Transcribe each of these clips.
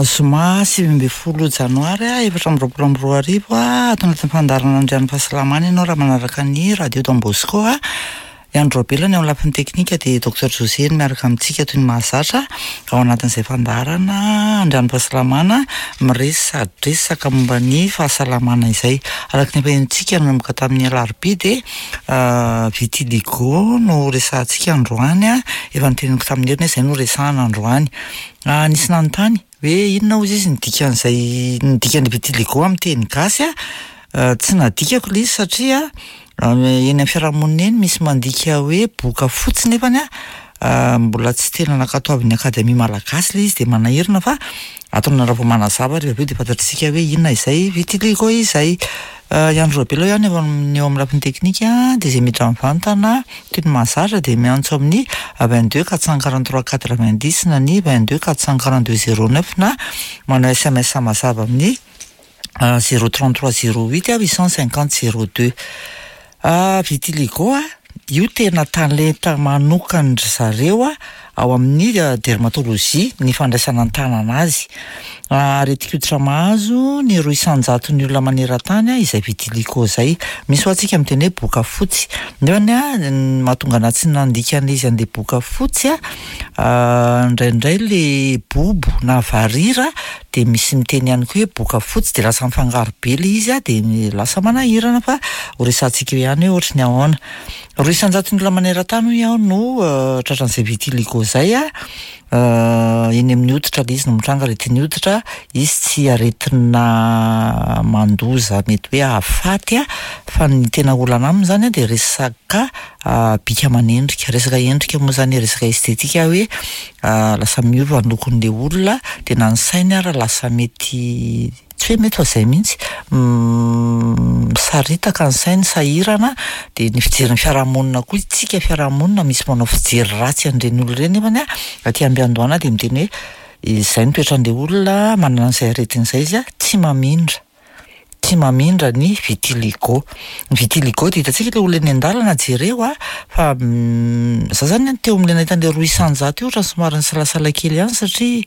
Zoma 19 janoary 2024, ato anatin'ny fandaharana Andrian'ny Fahasalamana ianao raha manaraka ny Radio Don Bosco. I Andry Raobelina ny eo amin'ny lafiny teknika dia Docteur José no miaraka amintsika toy ny mahazatra ao anatin'izay fandaharana Andrian'ny Fahasalamana miresadresaka momba ny fahasalamana izay. Araka ny efa henontsika nanomboka tamin'ny alarobia dia vitiligo no resahantsika androany. Efa noteneniko tamin'ny heriny hoe izay no resahana androany. Nisy nanontany hoe inona hozy izy ny dikan'izay ny dikan'ny vitiligo amin'ny teny gasy a? Tsy nadikako ilay izy satria eny amin'ny fiarahamonina eny misy mandika hoe boka fotsy nefany a mbola tsy tena nankatoavin'ny akademia malagasy ilay izy dia manahirana fa ataonareo raha vao manazava rehefa avy eo dia fantatr'isika hoe inona izay vitiligo izay. I Andry Raobelina ihany eo amin'ny eo amin'ny lafiny teknika dia izay miditra mivantana toy ny mahazatra dia miantso amin'ny 22 443 90 na ny 22 442 09 na manao sms mazava amin'ny 033 08 850 02. Vitiligo a, io tena talenta manokan-dry zareo ao amin'ny dermatologie ny fandraisana an-tanana azy. Aretin-koditra mahazo ny roa isan-jaton'ny olona maneran-tany izay vitiligo izay. Misy ho antsika miteny hoe boka fotsy. Nefany ny mahatonga anahy tsy nandika an'ilay izy an'ilay boka fotsy indraindray ilay bobo na varira dia misy miteny ihany koa hoe boka fotsy dia lasa mifangaro be ilay izy a, dia lasa manahirana fa ho resahantsika eo ihany hoe ohatry ny ahoana. Roa isan-jaton'ny olona maneran-tany hoy aho no tratran'izay vitiligo izay a, eny amin'ny hoditra ilay izy no mitranga, aretin'ny hoditra, izy tsy aretina mandoza mety hoe hahafaty a, fa ny tena olana aminy izany a dia resaka bika aman'endrika, resaka endrika moa izany e, resaka estetika hoe lasa miova ny lokon'ilay olona dia na ny sainy ara lasa mety tsy hoe mety fa izay mihitsy misaritaka ny sainy, sahirana dia ny fijerin'ny fiarahamonina koa isika fiarahamonina misy manao fijery ratsy an'ireny olona ireny nefany aty am-piandohana dia miteny hoe izay ny toetran'ilay olona manana an'izay aretina izay izy tsy mamindra. Tsy mamindra ny vitiligo. Ny vitiligo dia hitantsika ilay olona eny an-dalana jereo a, fa za zany teo amin'ilay nahita an'ilay roa isan-jato io ohatran'ny somary nisalasala kely ihany satria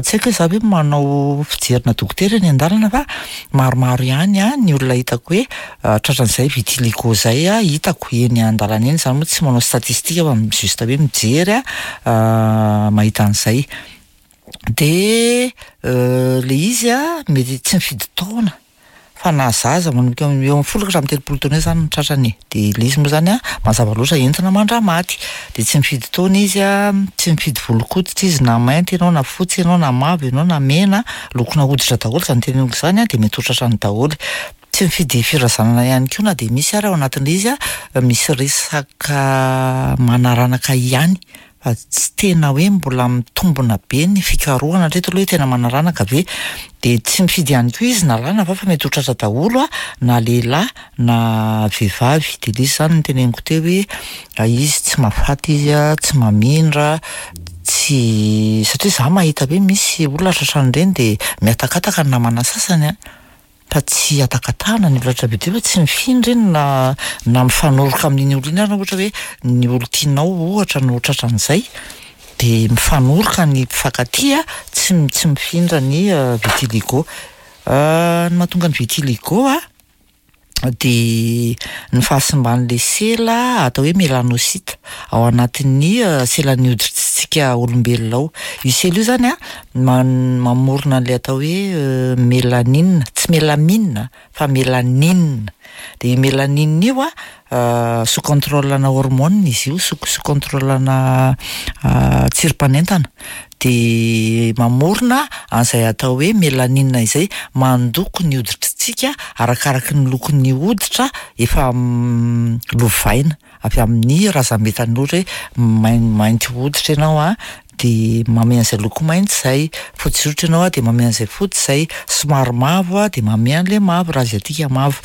tsy haiko hoe za ve manao fijerina dokotera eny an-dalana fa maromaro ihany a ny olona hitako hoe tratran'izay vitiligo izay a, hitako eny an-dalana eny, za moa tsy manao statistique fa juste hoe mijery a mahita an'izay. De le izy a mety tsy mifidy taona fa na zaza manomboka eo amin'ny folo ka hatramin'ny telopolo taona eo zany no tratrany e, de le izy moa zany a mazava loatra entina mandra-maty, de tsy mifidy taona izy a, tsy mifidy volon-koditra izy na mainty ianao na fotsy ianao na mavo ianao na mena, lokona hoditra daholo zany teneniko zany a de mety ho tratrany daholo. Tsy mifidy firazanana ihany koa na dia misy ary ao anatin'ilay izy a, misy resaka manaranaka ihany fa tsy tena hoe mbola mitombina be ny fikarohana hatreto aloha hoe tena manaranaka ve, dia tsy mifidy ihany koa izy na lahy na vavy fa mety ho tratra daholo a, na lehilahy na vehivavy, dia ilay izy izany no teneniko teo hoe izy tsy mahafaty izy a, tsy mamindra, tsy satria za mahita hoe misy olona tratran'ireny dia mihatakataka ny namana sasany a. Fa tsy hatakatahana ny olona be dia fa tsy mifindra iny na na mifanoroka amin'iny olona iny ary ohatra hoe ny olon-tianao ohatra no tratran'izay dia mifanoroka ny mpifankatia tsy tsy mifindra ny vitiligo. Ny mahatonga ny vitiligo a dia ny fahasimban'ilay sela atao hoe melanocyte ao anatin'ny selan'ny hoditritsika olombelona ao. Io sela io zany a mamorona an'ilay atao hoe mélanine, tsy mélamine fa mélanine, de io mélanine io a sous contrôle-na hormone izy io, sous sous contrôle-na tsirim-panentana, de mamorona an'izay atao hoe mélanine izay mandoko ny hoditritsika arakaraky ny lokon'ny hoditra efa lovaina avy amin'ny razambe tanora hoe maintimainty hoditra ianao a, de manome an'izay loko mainty izay, fotsy hoditra ianao a de manome an'izay fotsy izay, somary mavo a de manome an'le mavo raha aziatika mavo,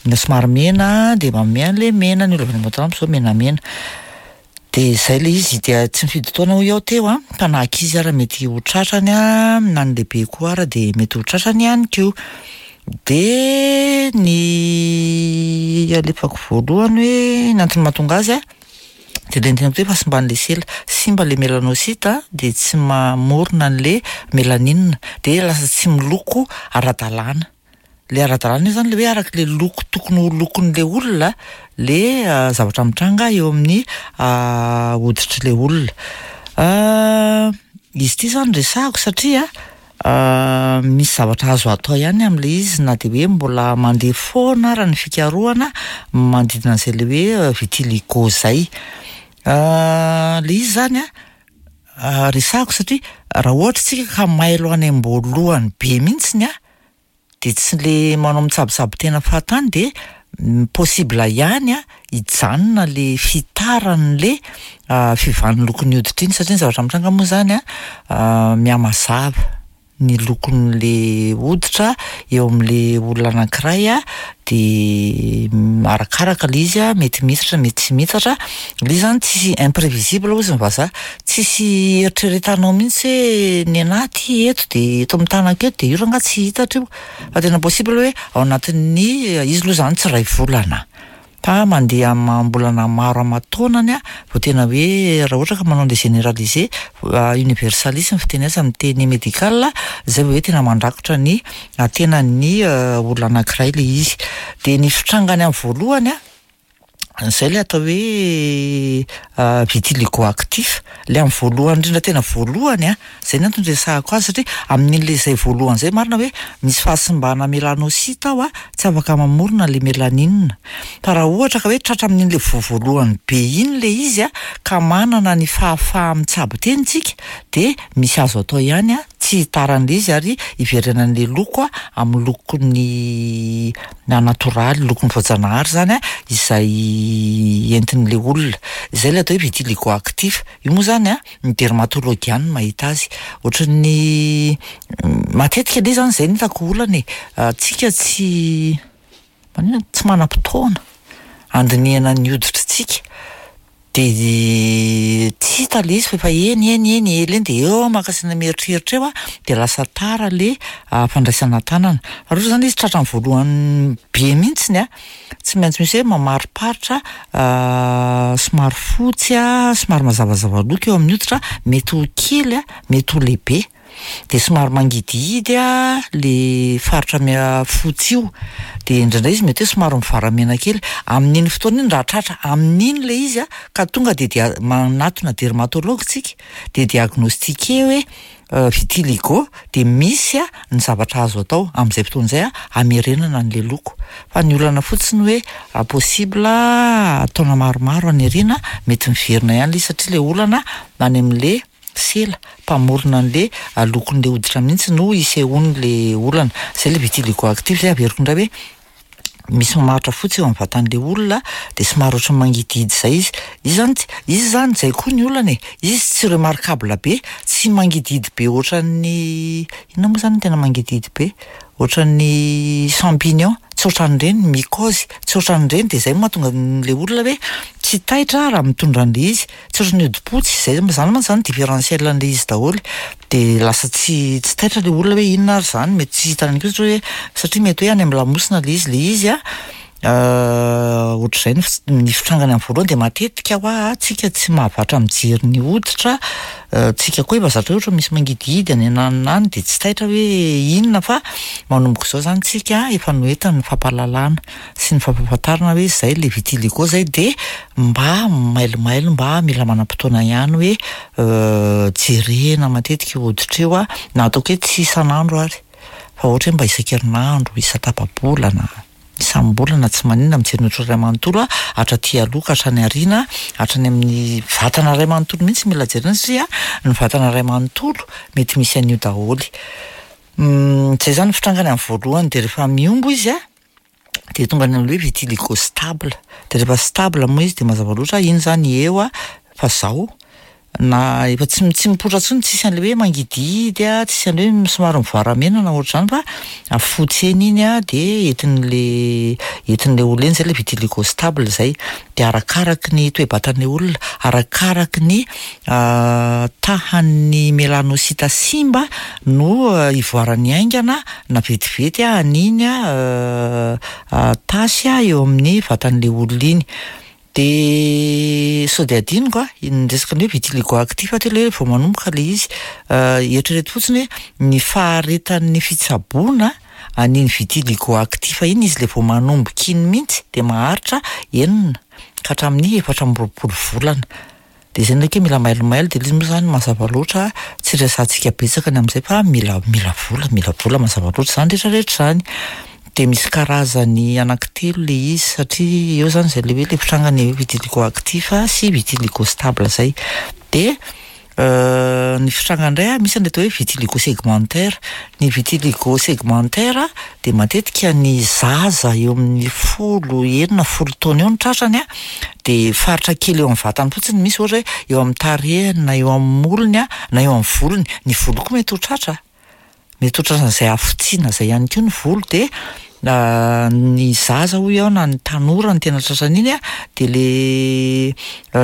na somary mena de manome an'le mena, ny olona avy any Ambatolampy zao menamena. De zay le izy, dia tsy mifidy taona hoy aho teo a, fa na ankizy ara mety ho tratrany a, na ny lehibe koa ara de mety ho tratrany ihany koa. De ny alefako voalohany hoe ny antony mahatonga azy a. Dia ilay niteneniko teo hoe fahasimban'ilay sela. Simba ilay melanocyte dia tsy mamorona an'ilay mélanine. Dia lasa tsy miloko ara-dalàna. Ilay ara-dalàna io izany ilay hoe araka ilay loko tokony ho lokon'ilay olona ilay zavatra mitranga eo amin'ny hoditr'ilay olona. Izy ity izany resahako satria misy zavatra azo atao ihany amin'ilay izy na dia hoe mbola mandeha foana ara ny fikarohana manodidina an'izay ilay hoe vitiligo izay. Ilay izy izany an, resahako satria raha ohatra isika ka mailo any am-boalohany be mihitsiny an, dia tsy le manao mitsabotsabo tena fahatany dia possible ihany an hijanona le fitaran'le fiovan'ny lokon'ny hoditra iny satria ny zavatra mitranga moa zany an mihamazava ny lokon'le hoditra eo amin'le olona anankiray an de arakaraka le izy an mety mihitatra mety tsy mihitatra, le izy zany tsisy imprévisible hozy ny vazaha, tsisy eritreretanao mihitsy hoe ny anahy ty eto de eto amin'ny tanako eto de io rangahy tsy hitatra io, fa tena possible hoe ao anatin'ny izy aloha zany tsy iray volana fa mandeha amam-bolana maro aman-taonany an vao tena hoe raha ohatra ka manao an'le généralisé universaliste ny fiteny azy amin'ny teny médical zay vao hoe tena mandrakotra ny tenan'ny olona anankiray le izy. De ny fitrangany amin'ny voalohany an, zay le atao hoe vitiligo actif, le amin'ny voalohany indrindra tena voalohany an, zay ny antony iresahako azy satria amin'in'le zay voalohany zay marina hoe misy fahasimbana mélanocyte ao an, tsy afaka mamorona le mélanine. Fa raha ohatra ka hoe tratra amin'in'le voa voalohany be iny le izy an, ka manana ny fahafaha-mitsabo tena isika de misy azo atao ihany an, tsy hitaran'le izy ary hiverenan'le loko amin'ny lokon'ny natoraly, lokon'ny voajanahary zany an, izay entin'le olona. Izay ilay atao hoe vitiligo actif. Io moa zany an, ny dermatologue ihany no mahita azy. Ohatran'ny matetika aloha zany izay no hitako olana e, tsika tsy maninona tsy manam-potoana handinihana ny hoditritsika. De tsy hita le izy fa efa eny eny eny ela eny de eo maka saina mieritreritra eo an, de lasa tara le fandraisana an-tanana. Fa raha ohatra zany izy tratra amin'ny voalohany be mihitsiny an, tsy maintsy misy hoe mamariparitra somary fotsy an, somary mazavazava loko eo amin'ny hoditra, mety ho kely an, mety ho lehibe. De somary mangidihidy an le faritra fotsy io, de indraindray izy mety hoe somary mivaramena kely. Amin'iny fotoana iny raha tratra amin'iny le izy an, ka tonga de dia manatona dermatologue tsika, de diagnostiqué hoe vitiligo, de misy an ny zavatra azo atao amin'izay fotoana izay an hamerenana an'le loko. Fa ny olana fotsiny hoe possible taona maromaro any aoriana mety miverina ihany le izy satria le olana any amin'le sela mpamorona an'le lokon'le hoditra mihitsy no isehoan'le olana. Zay le vitiligo actif zay averiko indray hoe misy mamaritra fotsy eo amin'ny vatan'le olona de somary ohatran'ny mangidihidy zay izy. Izy zany tsy, izy zany zay koa ny olana e, izy tsy remarquable be, tsy mangidihidy be ohatran'ny inona moa zany no tena mangidihidy be? Ohatran'ny champignon, tsy ohatran'ireny, mycose, tsy ohatran'ireny de zay no mahatonga an'le olona hoe tsy taitra raha mitondra an'le izy, tsy ohatran'ny hodi-potsy, zay zany mantsy zany différentiel an'le izy daholo, de lasa tsy tsy taitra le olona hoe inona ary zany, mety tsy hitany koa satria hoe satria mety hoe any amin'ny lamosina le izy, le izy an ohatr'izay ny ny fitrangany amin'ny voalohany de matetika hoa tsika tsy mahavatra mijery ny hoditra, tsika koa efa zatra hoe ohatra misy mangidihidy any ananona any de tsy taitra hoe inona fa manomboka izao zany tsika efa noentin'ny fampahalalana sy ny fampahafantarana hoe zay le vitiligo zay de mba mailomailo mba mila manam-potoana ihany hoe jerena matetika io hoditra io an, na ataoko hoe tsy isan'andro ary fa ohatra hoe mba isan-kerinandro, isan-tapa-bolana, isam-bolana tsy maninona mijery ny hoditra iray manontolo an, hatraty aloha ka hatrany aoriana, hatrany amin'ny vatana iray manontolo mihitsy mila jerena satria ny vatana iray manontolo mety misy an'io daholo. Zay zany ny fitrangany amin'ny voalohany de rehefa mihombo izy an, de tonga any amin'ilay hoe vitiligo stable, de rehefa stable moa izy de mazava loatra iny zany eo an fa zao na efa tsy tsy mipoitra intsony, tsisy an'le hoe mangidihidy an, tsisy an'le hoe somary mivaramena na ohatr'izany fa fotsy eny iny an de entin'le entin'le olona eny zay le vitiligo stable zay. De arakaraky ny toe-batan'le olona, arakaraky ny tahan'ny mélanocyte simba no ivoaran'ny haingana na vetivety an'iny tasy eo amin'ny vatan'le olona iny. De sao de adinoko a, ny resaka ny hoe vitiligo actif teo le hoe vao manomboka le izy, eritrereto fotsiny hoe ny faharetan'ny fitsaboana an'iny vitiligo actif iny, izy le vao manomboka iny mihitsy de maharitra 6 ka hatramin'ny 24 volana. De zay ndraiky mila mailomailo, de le izy moa zany mazava loatra tsy resahantsika betsaka ny amin'izay fa mila mila vola, mila vola mazava loatra zany rehetrarehetra zany. De misy karazany anankitelo le izy satria eo zany zay le hoe le fitrangany hoe vitiligo actif sy vitiligo stable zay. De ny fitrangany indray a, misy ny atao hoe vitiligo segmentaire. Ny vitiligo segmentaire de matetika ny zaza eo amin'ny 10, 6, 10 taona eo no tratrany a, de faritra kely eo amin'ny vatany fotsiny misy, ohatra hoe eo amin'ny tarehiny na eo amin'ny molony a, na eo amin'ny volony. Ny volo koa mety ho tratra, mety ho tratran'izay hafotsiana zay ihany koa ny volo. De ny zaza hoy aho na ny tanora no tena tratran'iny a, de le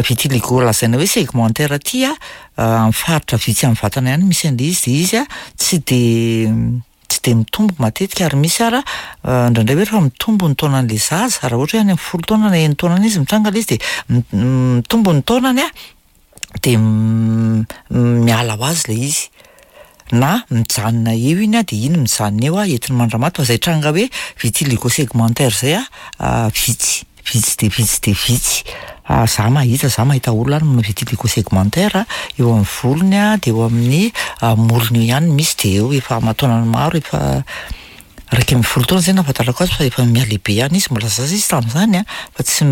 vitiligo lazaina hoe segmentaire ty a, amin'ny faritra vitsy amin'ny vatana ihany misy an'le izy, de izy a tsy de tsy de mitombo matetika, ary misy ara indraindray hoe rehefa mitombo ny taonan'le zaza, raha ohatra hoe any amin'ny 10 taona na 6 taona izy mitranga le izy, de mitombo ny taonany a, de miala ho azy le izy, na mijanona eo iny a, de iny mijanona eo a entiny mandramaty. Fa zay tranga hoe vitiligo segmentaire zay a, vitsy, vitsy de vitsy de vitsy. Za mahita, za mahita olona any manao vitiligo segmentaire eo amin'ny volony a, de eo amin'ny molony eo ihany misy, de eo efa aman-taonany maro, efa 11 taona zay nahafantarako azy fa efa mihalehibe ihany izy, mbola zaza izy tamin'izany a, fa tsy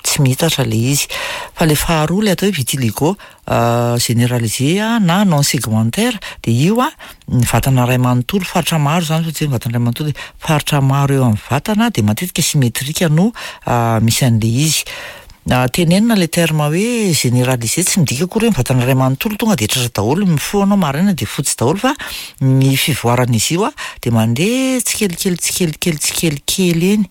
tsy mihitatra le izy. Fa le faharoa, le atao hoe vitiligo généralisé na non segmentaire, de io a ny vatana iray manontolo, faritra maro zany, fa tsy hoe ny vatana iray manontolo, faritra maro eo amin'ny vatana, de matetika symétrique no misy an'le izy. Tenenina le terme hoe généralisé, tsy midika akory hoe ny vatana iray manontolo tonga de tratra daholo, mifoha anao maraina de fotsy daholo, fa ny fivoaran'izy io a de mandeha tsikelikely tsikelikely tsikelikely eny,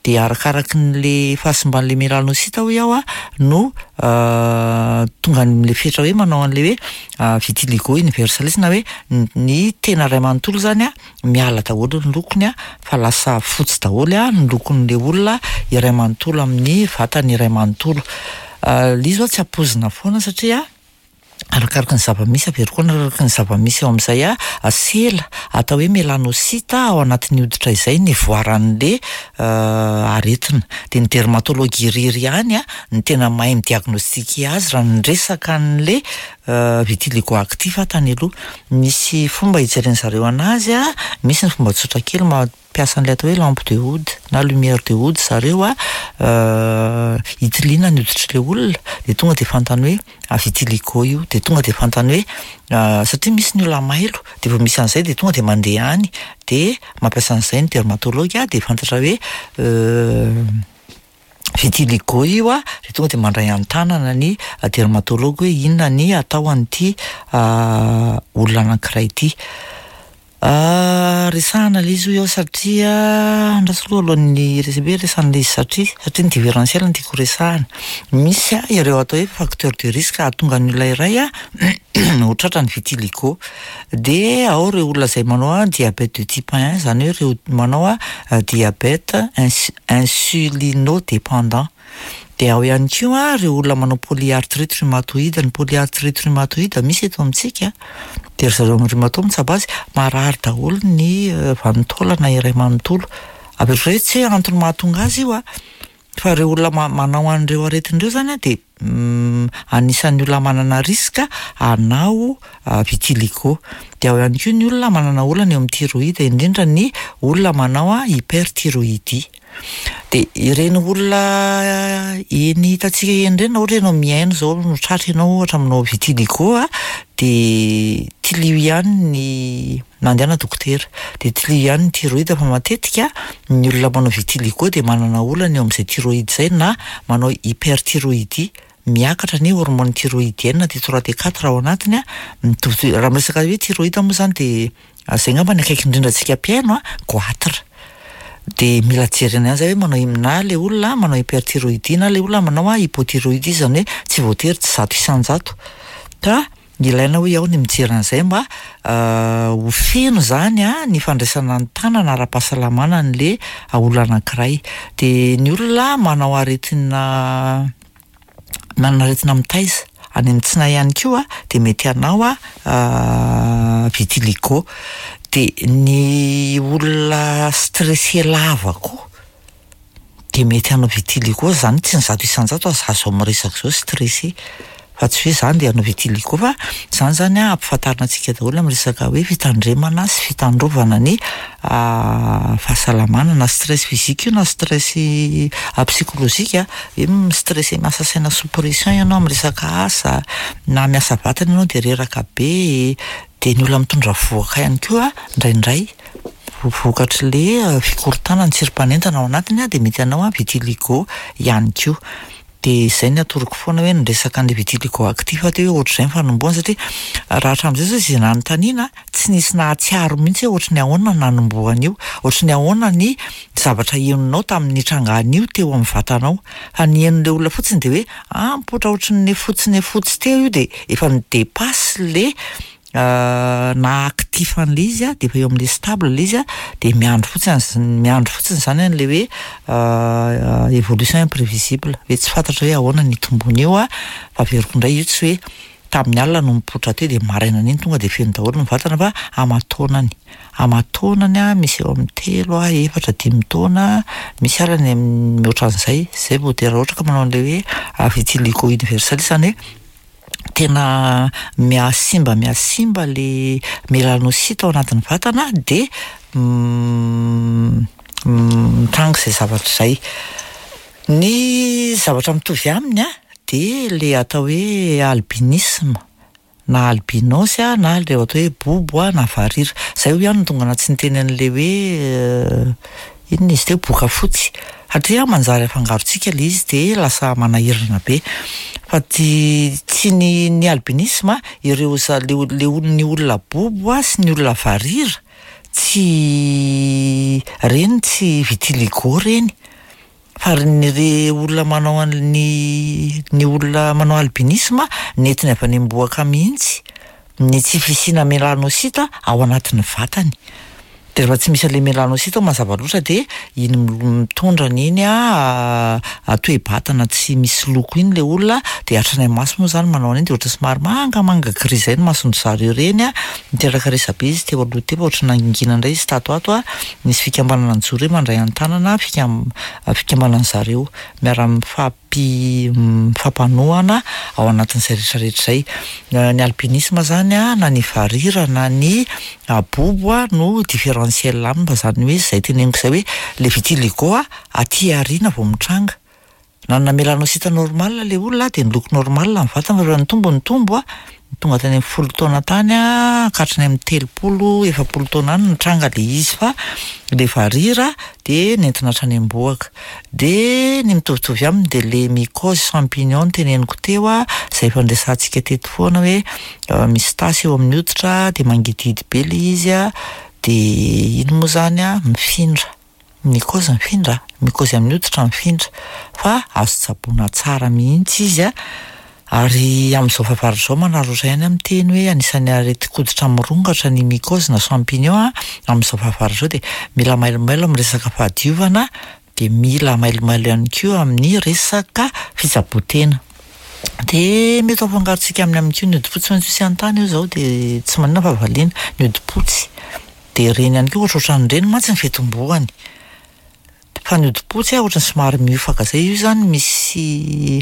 de arakaraky n'le fahasimban'le mélanocyte hoy aho a no tonga an'le fetra hoe manao an'le hoe vitiligo universalis, na hoe ny tena iray manontolo zany a miala daholo ny lokony a, fa lasa fotsy daholo a ny lokon'le olona iray manontolo amin'ny vatany iray manontolo. Le izy zao tsy ampoizina foana satria arakaraka ny zava-misy, averiko koa arakaraka ny zava-misy eo amin'izay a sela atao hoe mélanocyte ao anatin'ny hoditra izay ny voaran'le aretina. De ny dermatologue irery ihany a ny tena mahay midiagnostiquer azy. Raha niresaka an'le vitiligo actif tany aloha, misy fomba hijereny zareo anazy a, misy ny fomba tsotra kely mampiasa an'ilay atao hoe lampe de Wood na lumière de Wood zareo a, hitiliana ny hoditr'ilay olona, de tonga de fantany hoe vitiligo io, de tonga de fantany hoe satria misy ny olona mailo, de vao misy an'izay de tonga de mandeha any, de mampiasa an'izay ny dermatologue, de fantatra hoe vitiligo io a, de tonga de mandray an-tanana ny dermatologue hoe inona ny atao an'ity olona anankiray ity. Resahana le izy hoy aho satria andraso aloha alohan'ny hoe resahana le izy satria ny différentiel no tiako resahana. Misy a ireo atao hoe facteur de risque hahatonga ny olona iray a ho tratra ny vitiligo. De ao ireo olona izay manao a diabète de type 1, zany hoe ireo manao a diabète insulinodépendant. De ao ihany koa ireo olona manao polyarthrite rhumatoïde. Ny polyarthrite rhumatoïde misy eto amintsika, de ry zareo amin'ny rhumato mitsabo azy, marary daholo ny vanin-taolana iray manontolo. Averiko hoe tsy hoe antony mahatonga azy io a, fa ireo olona manao an'ireo aretina ireo zany a de anisan'ny olona manana risque hanao vitiligo. De ao ihany koa ny olona manana olana eo amin'ny thyroïde, indrindra ny olona manao a hyperthyroïdie. De ireny olona eny hitantsika eny ireny, na ohatra ianao mihaino zao no tratra ianao ohatra manao vitiligo a, de tilio ihany ny mandehana dokotera, de tilio ihany ny thyroïde, fa matetika ny olona manao vitiligo de manana olana eo amin'izay thyroïde izay, na manao hyperthyroïdie, miakatra ny hormone thyroïdienne T3 T4 ao anatiny a, mitovy. Raha miresaka hoe thyroïde moa zany de zay angamba ny akaiky indrindra antsika mpihaino a, goitre. De mila jerena ihany zay hoe manao na le olona manao hyperthyroïdie na le olona manao hypothyroïdie, zany hoe tsy voatery tsy 100%, ka Ilaina hoy aho ny mijery an'izay mba ho feno izany ny fandraisana an-tanana ara-pahasalamana an'le olona anankiray. Dia ny olona manao aretina manana aretina mitaiza any amin'ny tsinay ihany koa dia mety hanao vitiligo. Dia ny olona stressé lava koa dia mety hanao vitiligo, zany tsy ny 100% fa za zao miresaka zao stressé fa tsy hoe za ndeha hanao vitiligo fa zany zany an ampifantarina antsika daholo amin'ny resaka hoe fitandremana sy fitandrovana ny fahasalamana na stress physique io na stress psychologique, hoe mi-stressé miasa saina sous pression ianao amin'ny resaka asa na miasa vatana ianao de reraka be, de ny olona mitondra vohoka ihany koa indraindray vokatr'le fikorontanana tsirim-panentana ao anatiny de mety hanao vitiligo ihany koa. De zay ny atoroko foana hoe ny resaka an'le vitiligo actif teo hoe ohatr'izay ny fanombohana satria raha hatramin'izay zao izay nanontaniana tsy nisy nahatsiaro mihitsy hoe ohatry ny ahoana ny nanombohan'io, ohatry ny ahoana ny zavatra henonao tamin'ny nitrangan'io teo amin'ny vatanao, fa ny henon'le olona fotsiny de hoe ah mipoitra ohatry ny fotsy ny fotsy teo io de efa ni-dépasse le na actif an'le izy a, de efa eo amin'le stable le izy a, de miandry fotsiny az- miandry fotsiny zany an'le hoe évolution imprévisible, hoe tsy fantatra hoe ahoana ny hitombon'io a, fa averiko indray io tsy hoe tamin'ny alina no mipoitra teo de marainan'iny tonga de feno daholo ny vatana fa aman-taonany, aman-taonany a, misy eo amin'ny 3 a, 4, 5 taona, misy ara ny mihoatra an'izay, zay vao de raha ohatra ka manao an'le hoe vitiligo universel zany hoe tena mihasimba mihasimba le mélanocyte ao anatin'ny vatana de mitranga izay zavatra izay. Ny zavatra mitovy aminy a de le atao hoe albinisme na albinos a na le atao hoe bobo a na varira. Zay hoy ihany no tonga anaty tsy niteny an'le hoe inona izy teo boka fotsy satria manjary afangarontsika le izy de lasa manahirana be. Fa ty tsy ny ny albinisme ireo za le le ny olona bobo a sy ny olona varira tsy reny tsy vitiligo reny fa ny re olona manao an'ny ny olona manao albinisme nentiny avy any am-bohoka mihitsy ny tsy fisiana mélanocyte ao anatin'ny vatany. De rehefa tsy misy an'le mélanocyte ao mazava loatra de iny mitondra an'iny a toe-batana tsy misy loko iny le olona de hatrany amin'ny maso moa zany manao an'iny de ohatra somary mangamanga gris zay ny mason-dry zareo ireny a, niteraka resabe izy teo aloha teo fa ohatry ny nangingina indray izy tato ato a, nisy fikambanana nijoro hoe mandray an-tanana fikam- fikambanan'ny zareo miara-mifampi mifampanohana ao anatin'izay rehetrarehetra izay. Ny albinisme zany a na ny varira na ny bobo a no différentiel aminy fa zany hoe zay teneniko zay hoe le vitiligo a aty aoriana vao mitranga. Nanana mélanocyte normal le olona de niloko normal ny vatana fa rehefa nitombo nitombo a, tonga tany amin'ny 10 taona tany a ka hatrany amin'ny 30, 40 taona any nitranga le izy fa le varira de nentina hatrany am-bohoka. De ny mitovitovy aminy de le mycose champignon teneniko teo a, zay efa niresahantsika teto foana hoe misy tasy eo amin'ny hoditra de mangidihidy be le izy a, de iny moa zany a mifindra, mycose mifindra, mycose amin'ny hoditra mifindra fa azo tsaboina tsara mihitsy izy a, ary amin'izao fahavaratra izao manararaotra ihany aho miteny hoe anisan'ny aretin-koditra mirongatra ny mycose na champignon a, amin'izao fahavaratra izao de mila mailomailo amin'ny resaka fahadiovana de mila mailomailo ihany koa amin'ny resaka fitsaboan-tena. De mety ho afangarontsika aminy aminy koa ny hodi-potsy fa tsy misy anontany io zao de tsy maninona fa valiana, ny hodi-potsy de ireny ihany koa ohatrohatran'ireny mantsy ny fitomboany. Fa ny hodi-potsy a ohatran'ny somary miofaka zay, io zany misy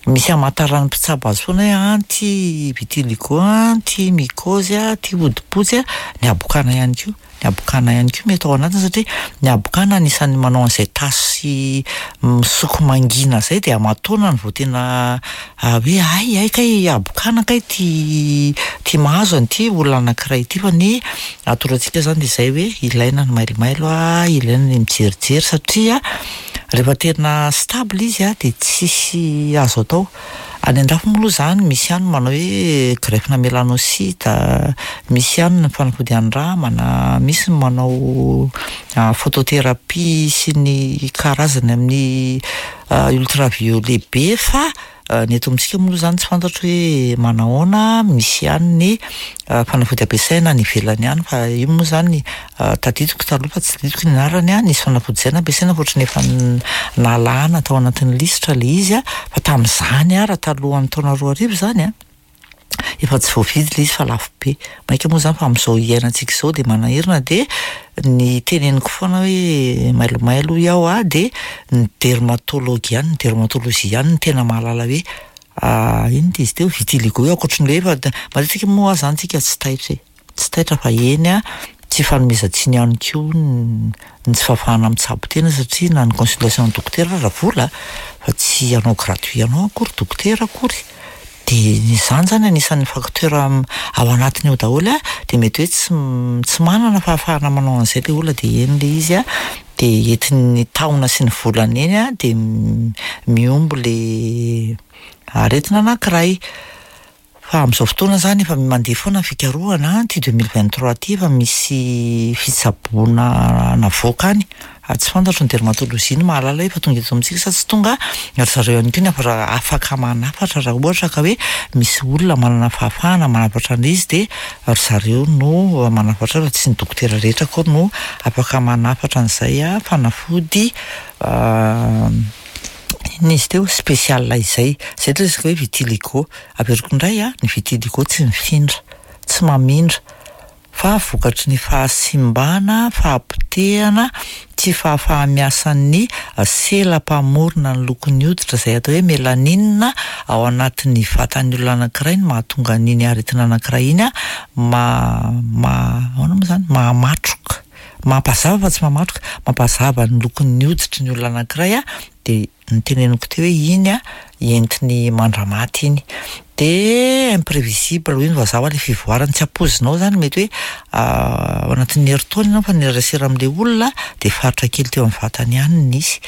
misy hamantaran'ny mpitsabo azy foana hoe ah ty vitiligo a, ty mycose a, ty hodi-potsy a, ny habokana ihany koa, ny habokana ihany koa mety ao anatiny satria ny habokana anisan'ny manao an'izay tasy misoko mangina zay de aman-taonany vao tena hoe ay ay kay habokana kay ty ty mahazo an'ity olona anankiray ity fa ny atoro antsika zany de zay hoe ilaina ny mailomailo a, ilaina ny mijerijery satria rehefa tena stable izy a de tsisy azo atao. Any an-dafy moa aloha zany misy ihany manao hoe greffe-na mélanocyte, misy ihany ny fanafody andramana, misy ny manao photothérapie sy ny karazany amin'ny ultraviolet be fa Ny eto amintsika moa aloha izany tsy fantatro hoe manahoana, misy ihany ny fanafody ampiasaina any ivelany any fa io moa izany tadidiko taloha fa tsy tadidiko ny anarany an, nisy fanafody izay nampiasaina fa ohatran'ny efa nalana tao anatin'ny lisitra ilay izy an, fa tamin'izany ara talohan'ny taona 2000 izany an, efa tsy voavidy ilay izy fa lafo be. Mainka moa izany fa amin'izao iainantsika izao dia manahirana dia ny teneniko foana hoe mailomailo hoy aho an, dia ny dermatologue ihany, ny dermatologie ihany no tena mahalala hoe inona ity izy teo, vitiligo io ankoatry ny hoe efa matetika moa izany tsika tsy taitra e, tsy taitra fa eny an, tsy ifanomezan-tsiny ihany koa ny tsy fahafahana mitsabo tena satria na ny consultation dokotera aza vola fa tsy hanao gratuit anao akory dokotera akory. Dia izany izany anisan'ny facteur ao anatiny ao daholo an, dia mety hoe tsy tsy manana fahafahana manao an'izay ilay olona dia eny ilay izy an, dia entin'ny taona sy ny volana eny an, dia mihombo ilay aretina anankiray. Fa amin'izao fotoana izany efa mandeha foana ny fikarohana an, ity 2023 ity efa misy fitsaboana navoaka any. Ary tsy fantatro ny dermatologie no mahalala hoe efa tonga eto amintsika sa tsy tonga, ry zareo ihany koa ny afaka manafatra raha ohatra ka hoe misy olona manana fahafahana manafatra an'ilay izy dia ry zareo no manafatra fa tsy ny dokotera rehetra akory no afaka manafatra an'izay fanafody inona izy teo spécial izay. Izay ilay resaka hoe vitiligo. Averiko indray an, ny vitiligo tsy mifindra, tsy mamindra. fa vokatry ny fahasimbana, fahapotehana, tsy fahafaha-miasan'ny sela mpamorona ny lokon'ny hoditra izay atao hoe mélanine ao anatin'ny vatan'ny olona anankiray no mahatonga an'iny aretina anankiray iny ma ma ahoana moa izany mahamatroka, mampazava fa tsy mahamatroka, mampazava ny lokon'ny hoditry ny olona anankiray dia Noteneniko teo hoe iny a, entiny mandramaty iny. De imprevisible hoy ny vazaha hoe le fivoarany, tsy ampoizinao zany mety hoe ao anatin'ny herintaona ianao efa niserasera amin'le olona de faritra kely teo amin'ny vatany ihany no nisy.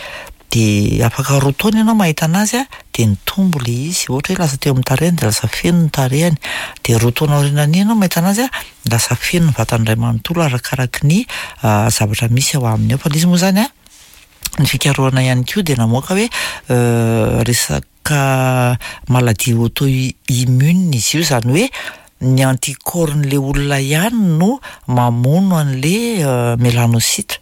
De afaka roa taona ianao mahita anazy a, de nitombo le izy, ohatra hoe lasa teo amin'ny tarehiny de lasa feno ny tarehiny, de roa taona aorianan'iny ianao mahita anazy a, lasa feno ny vatany iray manontolo arakaraky ny zavatra misy ao aminy ao. Fa le izy moa zany a, Ny fikarohana ihany koa dia namoaka hoe resaka maladie auto-immune izy io, izany hoe ny anticorps-n'ilay olona ihany no mamono an'ilay mélanocyte.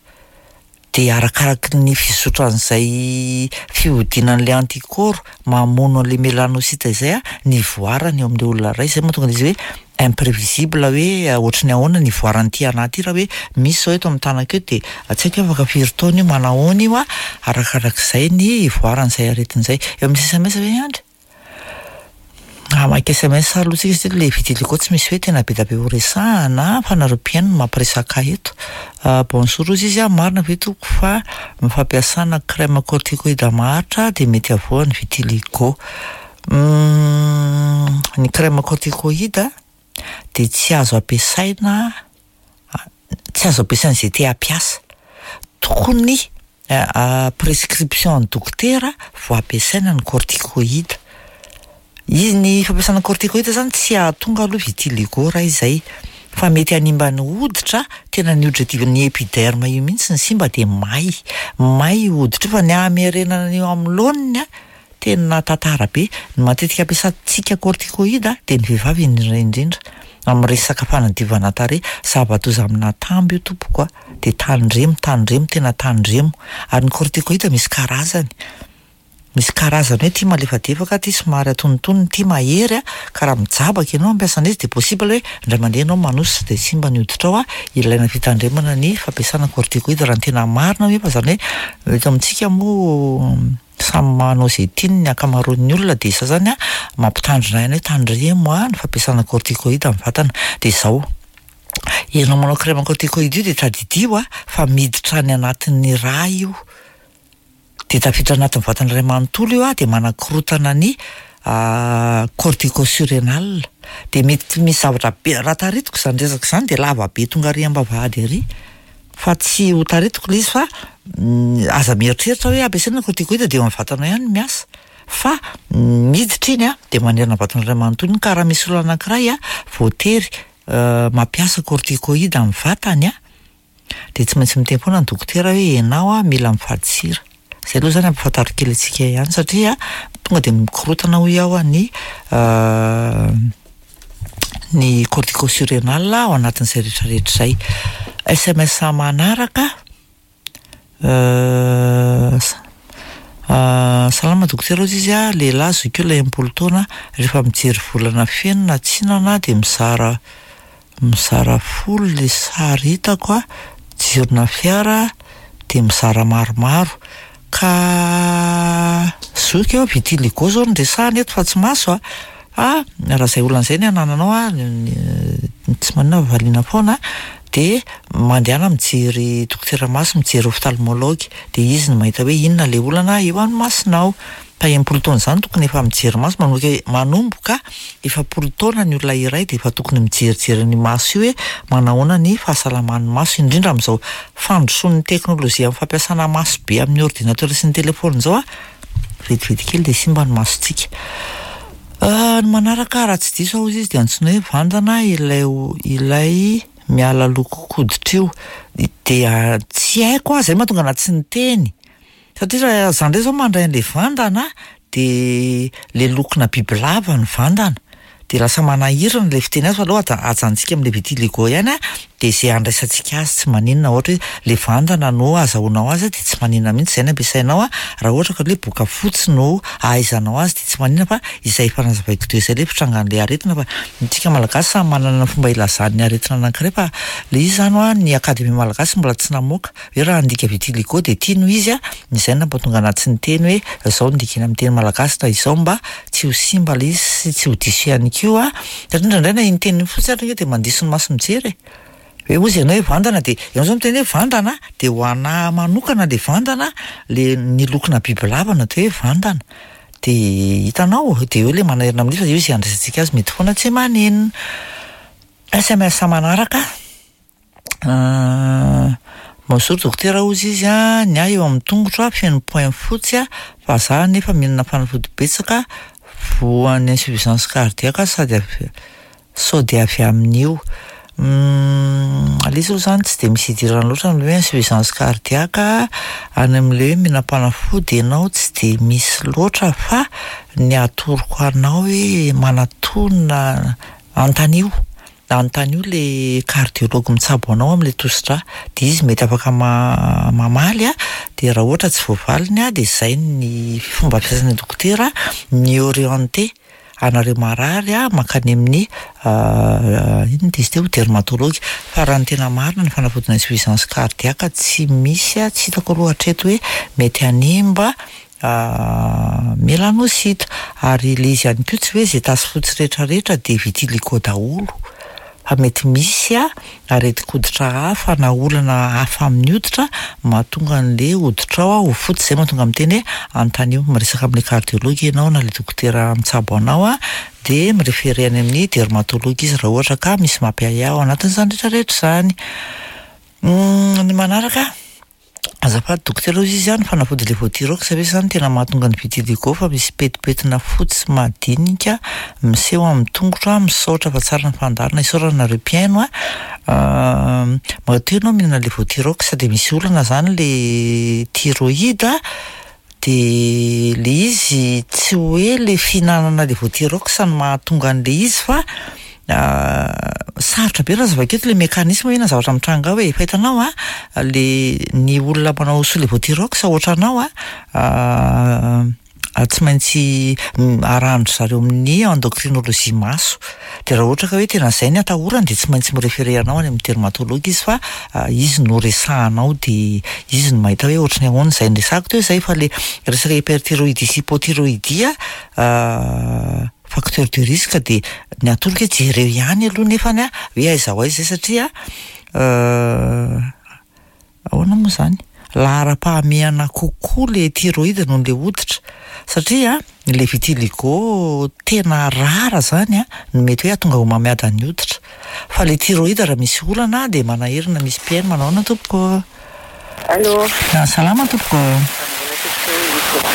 Dia arakaraky ny fizotran'izay fihodinan'ilay anticorps mamono an'ilay mélanocyte izay ny ivoarany eo amin'ilay olona iray. Izay no mahatonga an'izy hoe Imprevisible hoe ohatry ny ahoana ny ivoaran'ity anahy ity raha hoe misy izao eto amin'ny tanako eto dia tsy haiko hoe afaka firy taona io manahoana io a, arakarak'izay ny ivoaran'izay aretina izay. Eo amin'ny sms ve Andry? Hamaky sms aloha tsika satria ilay vitiligo tsy misy hoe tena be dia be ho resahana fa nareo mpihaino no mampiresaka ahy eto. Bonjour hozy izy a, marina ve tompoko fa ny fampiasana crème corticoïde maharitra dia mety havoan'ny vitiligo? Ny crème corticoïde dia tsy azo ampiasaina, tsy azo ampiasaina izay te hampiasa. Tokony prescription an'ny dokotera vao ampiasaina ny corticoïde. Izy ny fampiasana corticoïde zany tsy hahatonga aloha vitiligo raha izay fa mety hanimba ny hoditra, tena ny hoditra aty ny épiderme io mihitsy no simba dia may, may io hoditra io fa ny hamerenana an'io amin'ny laoniny an, Tena tantara be. Ny matetika ampiasantsika corticoïde dia ny vehivavy indrindra indrindra amin'ny resaka fanadiovana tarehy. Zava-doza amin'atambo io tompoko a! Dia tandremo, tandremo, tena tandremo. Ary ny corticoïde misy karazany. Misy karazany hoe ity malefadefaka, ity somary antonontonony, ity mahery a! Ka raha mijabaka ianao mampiasa an'izy dia possible hoe indray mandeha ianao manosotra dia simba ny hoditrao a! Ilaina fitandremana ny fampiasana corticoïde raha ny tena marina nefa izany hoe eto amintsika moa Samy manao izay tiany ny ankamaroan'ny olona dia izao izany an, mampitandrina ihany hoe tandremo an ny fampiasana corticoïde amin'ny vatana. Dia izao, ianao manao crème corticoïde io dia tadidio an fa miditra any anatin'ny rà io, dia tafiditra anatin'ny vatana iray manontolo io an, dia manakorotana ny corticosurrénal. Dia mety misy zavatra be, raha taritiko izany resaka izany dia lava be tonga ary am-bavahady ary. Fa tsy ho taritiko ilay izy fa aza mieritreritra hoe ampiasaina ny corticoïde dia eo amin'ny vatanao ihany no miasa fa miditra iny an dia manerana ny vatana iray manontolo iny ka raha misy olona anankiray an voatery mampiasa corticoïde amin'ny vatany an dia tsy maintsy miteny foana ny dokotera hoe ianao an mila mifady sira. Izay aloha izany ampahafantaro kely antsika ihany satria tonga dia mikorotana hoy aho ny ny corticosurrénal ao anatin'izay rehetra rehetra izay. SMS manaraka. Salama dokotera hozy izy a, lehilahy zokiolona 60 taona, rehefa mijery volana feno na tsinana dia mizara mizara folo le sary hitako a, jirona fiara dia mizara maromaro. Ka zoky eo, vitiligo zao no resahana eto fa tsy maso a. Fa raha izay olana izay ny anananao a, tsy maninona fa valiana foana dia mandehana mijery dokotera maso, mijery ophtalmologue dia izy no mahita hoe inona ilay olana eo amin'ny masonao. Fa 60 taona izany tokony efa mijery maso, manomboka manomboka 40 taona ny olona iray dia efa tokony mijerijery ny maso io hoe manahoana ny fahasalaman'ny maso, indrindra amin'izao fandrosoan'ny teknolojia amin'ny fampiasana maso be amin'ny ordinateur sy ny téléphone izao a, vetivety kely dia simba ny masontsika. Ny manaraka raha tsy diso aho hozy izy dia antsoina hoe vandana ilay ilay miala lokon-koditra io. Dia tsy haiko aho, izay mahatonga anahy tsy niteny. Satria raha za indray zao mandray an'le vandana de le lokona bibilava ny vandana. De lasa manahirana ilay fiteny azy fa aleo ajanontsika amin'ilay vitiligo ihany a, de izay andraisantsika azy tsy maninona, ohatra hoe le vandana no azahoanao azy de tsy maninona mihitsy izay no ampiasainao a, raha ohatra ka hoe boka fotsy no ahaizanao azy de tsy maninona fa izay efa nazavaiko teo izay ilay fitrangan'ilay aretina fa isika malagasy samy manana ny fomba ilazany ny aretina anankiray fa le izy izany hoa ny akademia malagasy mbola tsy namoaka hoe raha handika vitiligo dia ity no izy a, izay no nampatonga anahy tsy niteny hoe izao no dikany amin'ny teny malagasy na izao mba tsy ho simba ilay izy sy tsy ho diso ihany koa satria indraindray na iny teny iny fotsiny ary ange dia mandiso ny maso mijery e! Hoe hozy ianao hoe vandana dia ianao izao miteny hoe vandana dia ho anà manokana ilay vandana le ny lokona bibilava no atao hoe vandana dia hitanao dia eo ilay manairina amin'io fa io izay andraisantsika azy mety foana tsy maninona. SMS manaraka. Bonjour dokotera hozy izy a, ny ahy eo amin'ny tongotro a feno point fotsy a, fa za nefa mihinana fanafody betsaka voan'ny insuffisance cardiaque sady avy sao dia avy amin'io. Ilay izy aloha zany tsy dia misy idirana loatra ny hoe insuffisance cardiaque any amin'ilay hoe mihinam-panafody ianao tsy dia misy loatra fa ny atoroko anao hoe manatona anontanio. Anontanio le cardiologue mitsabo anao amin'ilay tosi-drà dia izy mety afaka mamaly a, dia raha ohatra tsy voavaliny a dia izay ny fomba fiasan'ny dokotera mi-orienter anareo marary a mankany amin'ny inona izy teo dermatologue. Fa raha ny tena marina ny fanafodina insuffisance cardiaque tsy misy a, tsy hitako aloha hatreto hoe mety hanimba Melanocyte, ary ilay izy ihany koa tsy hoe izay tasy fotsy rehetra rehetra dia vitiligo daholo fa mety misy aretin-koditra hafa na olana hafa amin'ny hoditra mahatonga an'ilay hoditrao ho fotsy, izay mahatonga miteny hoe anontanio, miresaka amin'ilay cardiologue ianao na ilay dokotera mitsabo anao dia mi-referer any amin'ny dermatologue izy raha ohatra ka misy mampiahiahy ao anatin'izany rehetra rehetra izany. Ny manaraka. Azafady dokotera hozy izy an, ny fanafody Levothyrox ve zany tena mahatonga ny vitiligo fa misy petipetina fotsy madinika miseho amin'ny tongotra, misaotra fa tsara ny fandaharana, isaorana nareo mpihaino a, matoa ianao mihinana Levothyrox dia misy olana zany le thyroïde De le izy tsy hoe le fihinanana levothyrox no mahatonga an'le izy fa sarotra be raha zavak'eto le mécanisme hoe inona zavatra mitranga ao e, fa hitanao a, le ny olona manao sous levothyrox ohatranao a, tsy maintsy arahan-dry zareo amin'ny endocrinologie maso. Dia raha ohatra ka hoe tena izay ny atahorany dia tsy maintsy mi-referer anao any amin'ny dermatologue izy fa izy no resahanao dia izy no mahita hoe ohatry ny ahoana izay niresahako teo izay fa le resaka hyperthyroïdie sy hypothyroïdie facteur de risque dia ny atoroko hoe jereo ihany aloha nefany hoe aiza ho aiza izay satria Ahoana moa izany? Laharam-pahamehana kokoa le thyroïde noho le hoditra satria le vitiligo tena rare zany no mety hoe hahatonga homamiadan'ny hoditra fa le thyroïde raha misy olana dia manahirana misy mpihaino manao ahoana tompoko? Allô. Salama tompoko.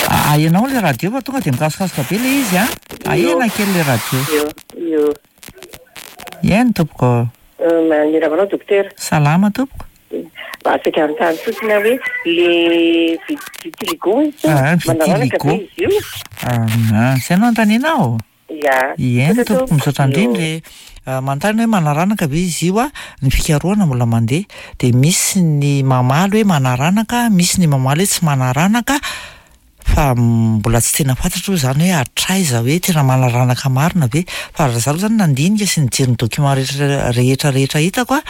Ahenao le radio fa tonga dia mikasokasoka be le izy a. Ahena kely le radio. Io, io. Eny tompoko. Miarahaba anao dokotera. Salama tompoko. Mba saika hanontany fotsiny aho hoe le vitiligo izy teo, Ah, manaranaka vitiligo. ve izy io? Ah, izay no anontanianao? Ya. Eny Misaotra tompoko, misaotra indrindra e. Ah, manontany hoe manaranaka ve izy io a? Ny fikarohana mbola mandeha. Dia misy ny mamaly hoe manaranaka, misy ny mamaly hoe tsy manaranaka, fa mbola tsy tena fantatro aloha izany hoe hatraiza hoe tena manaranaka marina ve. Fa raha izaho aloha izany nandinika sy nijery ny document rehetra rehetra rehetra hitako a,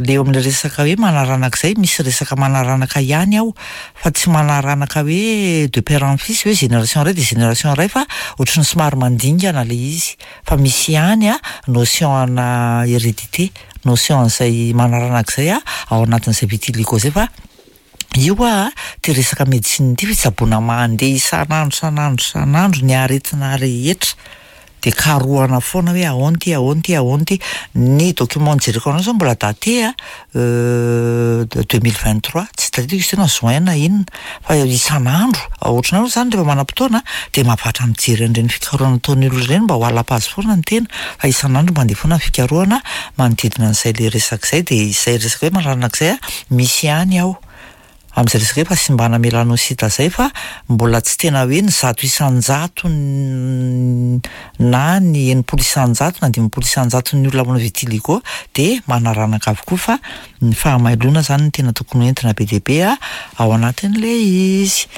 le eo amin'ilay resaka hoe manaranaka izay, misy resaka manaranaka ihany ao, fa tsy manaranaka hoe de père en fils hoe génération iray dia génération iray fa ohatran'ny somary mandingana ilay izy. Fa misy ihany a notion ana hérédité, notion an'izay manaranaka izay a ao anatin'izay vitiligo izay fa io a ty resaka médecine ity fitsaboana mandeha isan'andro isan'andro isan'andro ny aretina rehetra de karohana foana hoe ahoana ty, ahoana ty, ahoana ty. Ny document nijereko anao zao mbola daté a 2023, tsy tadidiko izy teo na juin na inona, fa isan'andro ohatranao aloha zany rehefa manam-potoana de mahavatra mijery an'ireny fikarohana ataon'ny olona ireny mba ho à la page foana ny tena, fa isan'andro mandeha foana ny fikarohana manodidina an'izay le resaka izay, de izay resaka hoe manaranaka izay a misy ihany ao amin'izay resaka hoe fahasimbana mélanocyte zay fa mbola tsy tena hoe ny 100 isan-jato na ny 60 isan-jato na 50 isan-jato ny olona manao vitiligo de manaranaka avokoa fa ny fahamailoana zany no tena tokony hoentina be dia be a ao anatin'le izy.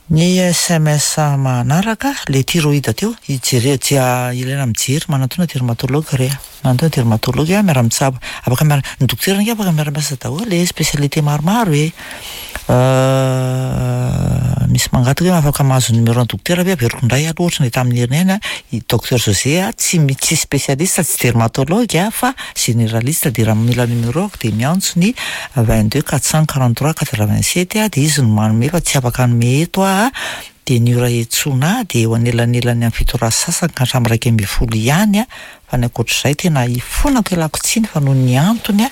Ny SMS manaraka, le thyroïde teo, ijere, ilaina mijery, manatona dermatologue re, manatona dermatologue a, miara-mitsabo, afaka miara, ny dokotera nge afaka miara-miasa daholo e, spécialité maromaro e. Misy mangataka hoe afaka mahazo numéro ny dokotera ve, averiko indray aloha ohatra ny tamin'ny heriny ihany a, i docteur José a, tsy tsy spécialiste, tsy dermatologue a, fa généraliste, de raha mila numéro ako de miantso ny 22 443 87 a, de izy no manome fa tsy afaka hanome eto a, de ny ora iantsoana de eo anelanelany amin'ny 7 ora sy sasany ka hatramin'ny 11 ihany a, fa ny ankoatr'izay tena ifonako ialako tsiny fa noho ny antony a,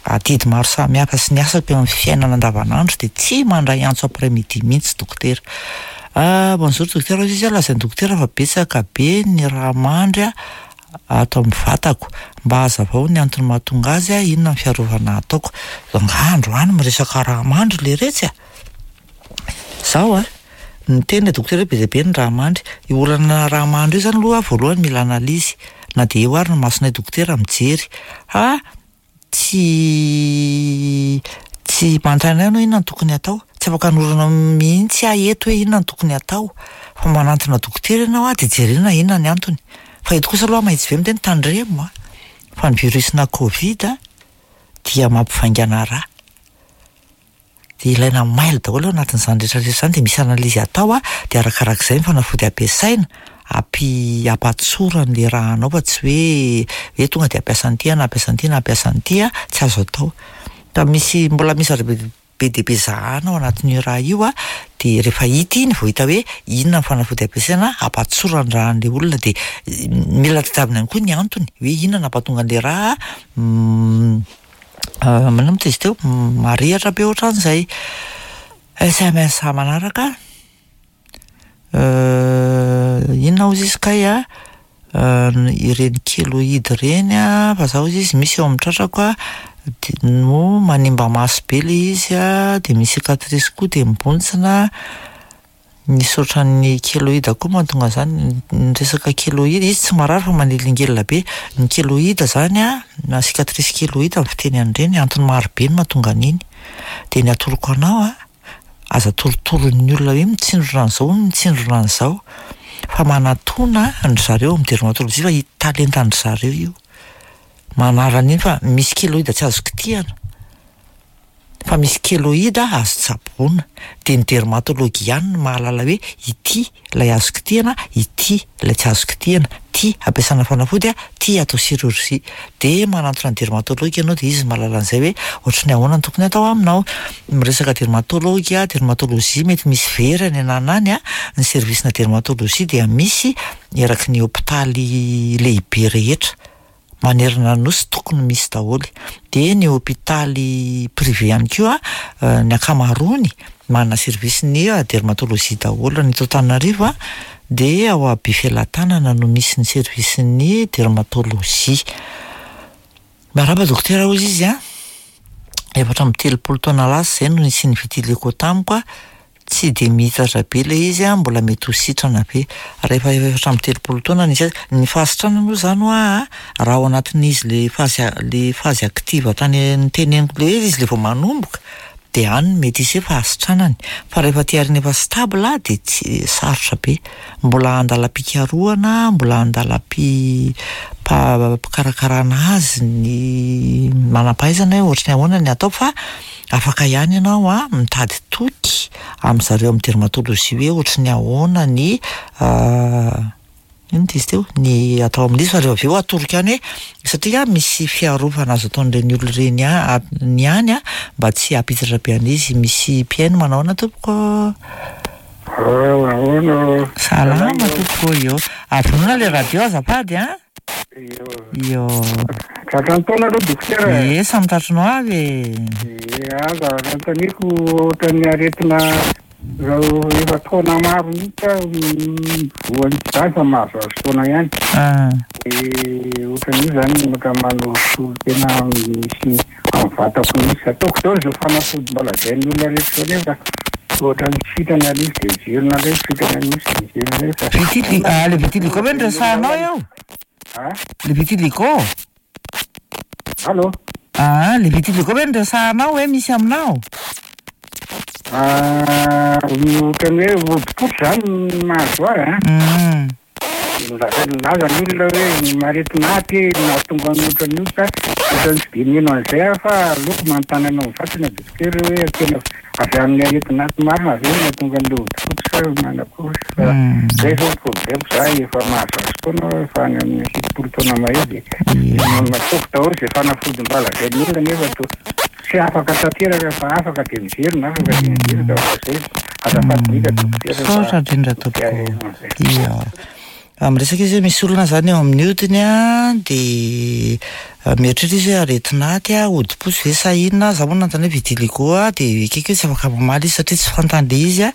adidy maro samihafa sy ny asako eo amin'ny fiainana andavanandro de tsy mandray antso après midi mihitsy dokotera. Ah, bonjour dokotera, hoy izy, lazain'ny dokotera fa betsaka be ny raha mandry a ato amin'ny vatako, mba hazavao ny antony mahatonga azy a, inona ny fiarovana ataoko. Angaha androany miresaka raha mandry le retsy a. Zaho a, niteny le dokotera hoe be dia be ny raha mandry. Io olana raha mandry io zany aloha voalohany mila analyse, na dia eo ary ny masonay dokotera mijery. Ha, tsy manontany ahy ianao inona no tokony atao, tsy afaka hanorana mihitsy aho eto hoe inona no tokony atao, fa manantona dokotera ianao a de jerena inona ny antony. Fa eto kosa aloha mahitsy be miteny tandremo a, fa ny virus-na Covid a dia mampivaingana rà. De ilaina mailo daholo ao anatin'izany rehetrarehetra izany, de misy analyse atao a, de arakarak'izay ny fanafody ampiasaina, ampatsorana le rà anao fa tsy hoe hoe tonga de hampiasa an'ity na hampiasa an'ity na hampiasa an'ity a, tsy azo atao. Fa misy mbola misy zavatra be dia be zahana ao anatin'io raha io a, de rehefa hita iny vao hita hoe inona ny fanafody ampiasaina hampatsorana ny rà an'le olona, de mila tadiavina ihany koa ny antony hoe inona no hampatonga an'le rà manao moa izy teo marihatra be ohatran'izay. SMS manaraka, inona hozy izy kay a, ireny keloïde ireny a, fa zaho hozy izy misy eo amin'ny tratrako a, de no manimba maso be le izy a, de misy cicatrice koa de mibontsina, misy ohatran'ny keloïde koa mahatonga an'izany, ny resaka keloïde izy tsy marary fa manelingelina be. Ny keloïde zany a, na cicatrice keloïde ny fiteny an'ireny, antony maro be no mahatonga an'iny. De ny atoroko anao a, aza torotoroin'ny olona hoe mitsindrona an'izao, mitsindrona an'izao, fa manatona an-dry zareo amin'ny dermatologie fa talentan-dry zareo io. Manala an'iny fa misy keloïde tsy azo kitihana, fa misy keloïde azo tsaboina. De ny dermatologue ihany no mahalala hoe ity ilay azo kitihana, ity ilay tsy azo kitihana, ty ampiasana fanafody a, ty atao chirurgie. De manantona ny dermatologue ianao de izy no mahalala an'izay hoe ohatry ny ahoana no tokony atao aminao. Miresaka dermatologue a, dermatologie mety misy very any anana any a, ny service-na dermatologie dia misy eraky ny hôpitaly lehibe rehetra manerana ny nosy tokony misy daholo. De ny hôpitaly privé ihany koa, ny ankamaroany manana service-ny dermatologie daholo. Ny eto Antananarivo a, de ao Befelatanana no misy ny service-ny dermatologie. Miarahaba dokotera hozy izy a. 34 taona lasa izay no nisian'ny vitiligo tamiko a, tsy de mihitatra be le izy a, mbola mety ho sitrana ve? Rehefa 34 taona nisy azy, ny fahasitranana aloha zany hoa a, raha ao anatin'izy le phase le phase active tany noteneniko le izy le vao manomboka de any no mety hisy hoe fahasitranany, fa rehefa aty aoriana efa stable de tsy sarotra be, mbola andalam-pikarohana, mbola andalam-pi- pa- pikarakarana azy ny manam-pahaizana hoe ohatry ny ahoana ny atao fa afaka ihany ianao a mitady toky am'zareo am'dermatologie hoe ohatry ny ahoana ny inona ty izy teo? Ny atao amin'izy fa rehefa avy eo atoroko ihany hoe satria misy fiarovana azo ataon'ireny olona ireny a- ny ihany a mba tsy hampiditra be an'izy. Misy mpihaino manao ahoana tompoko? Ahoana? Salama tompoko, io. Avonona le radio azafady a. Io. Io. Tratran'ny taona aloha dokotera. Ie, samy tratrinao avy e. Ie, aza anontaniako ohatran'ny aretina zao efa taona maro mihitsy aho voan'ny sida fa mahazoazo taona ihany. Ah. De ohatran'io zany maka manosolo tena misy amin'ny vatako mihitsy. Ataoko daholo izao fanafody mba lazain'ny olona rehetra izao nefa ohatran'ny tsy sitrana ilay izy de miverina indray, sitrana mihitsy de miverina indray fa. Vitili- ah, le vitiligo ve no resahanao eo? Ah? Le vitiligo? Allô? Ah, le vitiligo ve no resahanao hoe misy aminao? Ah, ohatran'ny hoe hodi-potsy zany ny mahazo ahy an. Milaza milaza ny olona hoe ny maretina aty nahatonga ny ohatran'io ka ohatran'ny tsy de mino an'izay aho fa aleoko manontany anao mivantana dokotera hoe tena avy amin'ny aretina aty marina ve no nahatonga an'ilay hodi-potsy sa manakory fa zay zao ny problème za efa mahazoazo taona aho efa any amin'ny 70 taona mahery de nataoko daholo izay fanafody mba lazain'ny olona nefa toa tsy afaka tanteraka fa afaka de miverina afaka de miverina fa zay azafady indrindra dokotera fa Misaotra indrindra tompoko. Ia. Miresaka izy hoe misy olona zany eo amin'ny hodiny a, de mieritreritra izy hoe aretina aty a, hodi-potsy ve sa inona, za moa nanontany hoe vitiligo a, de ekeko hoe tsy afaka mamaly izy satria tsy fantany le izy a.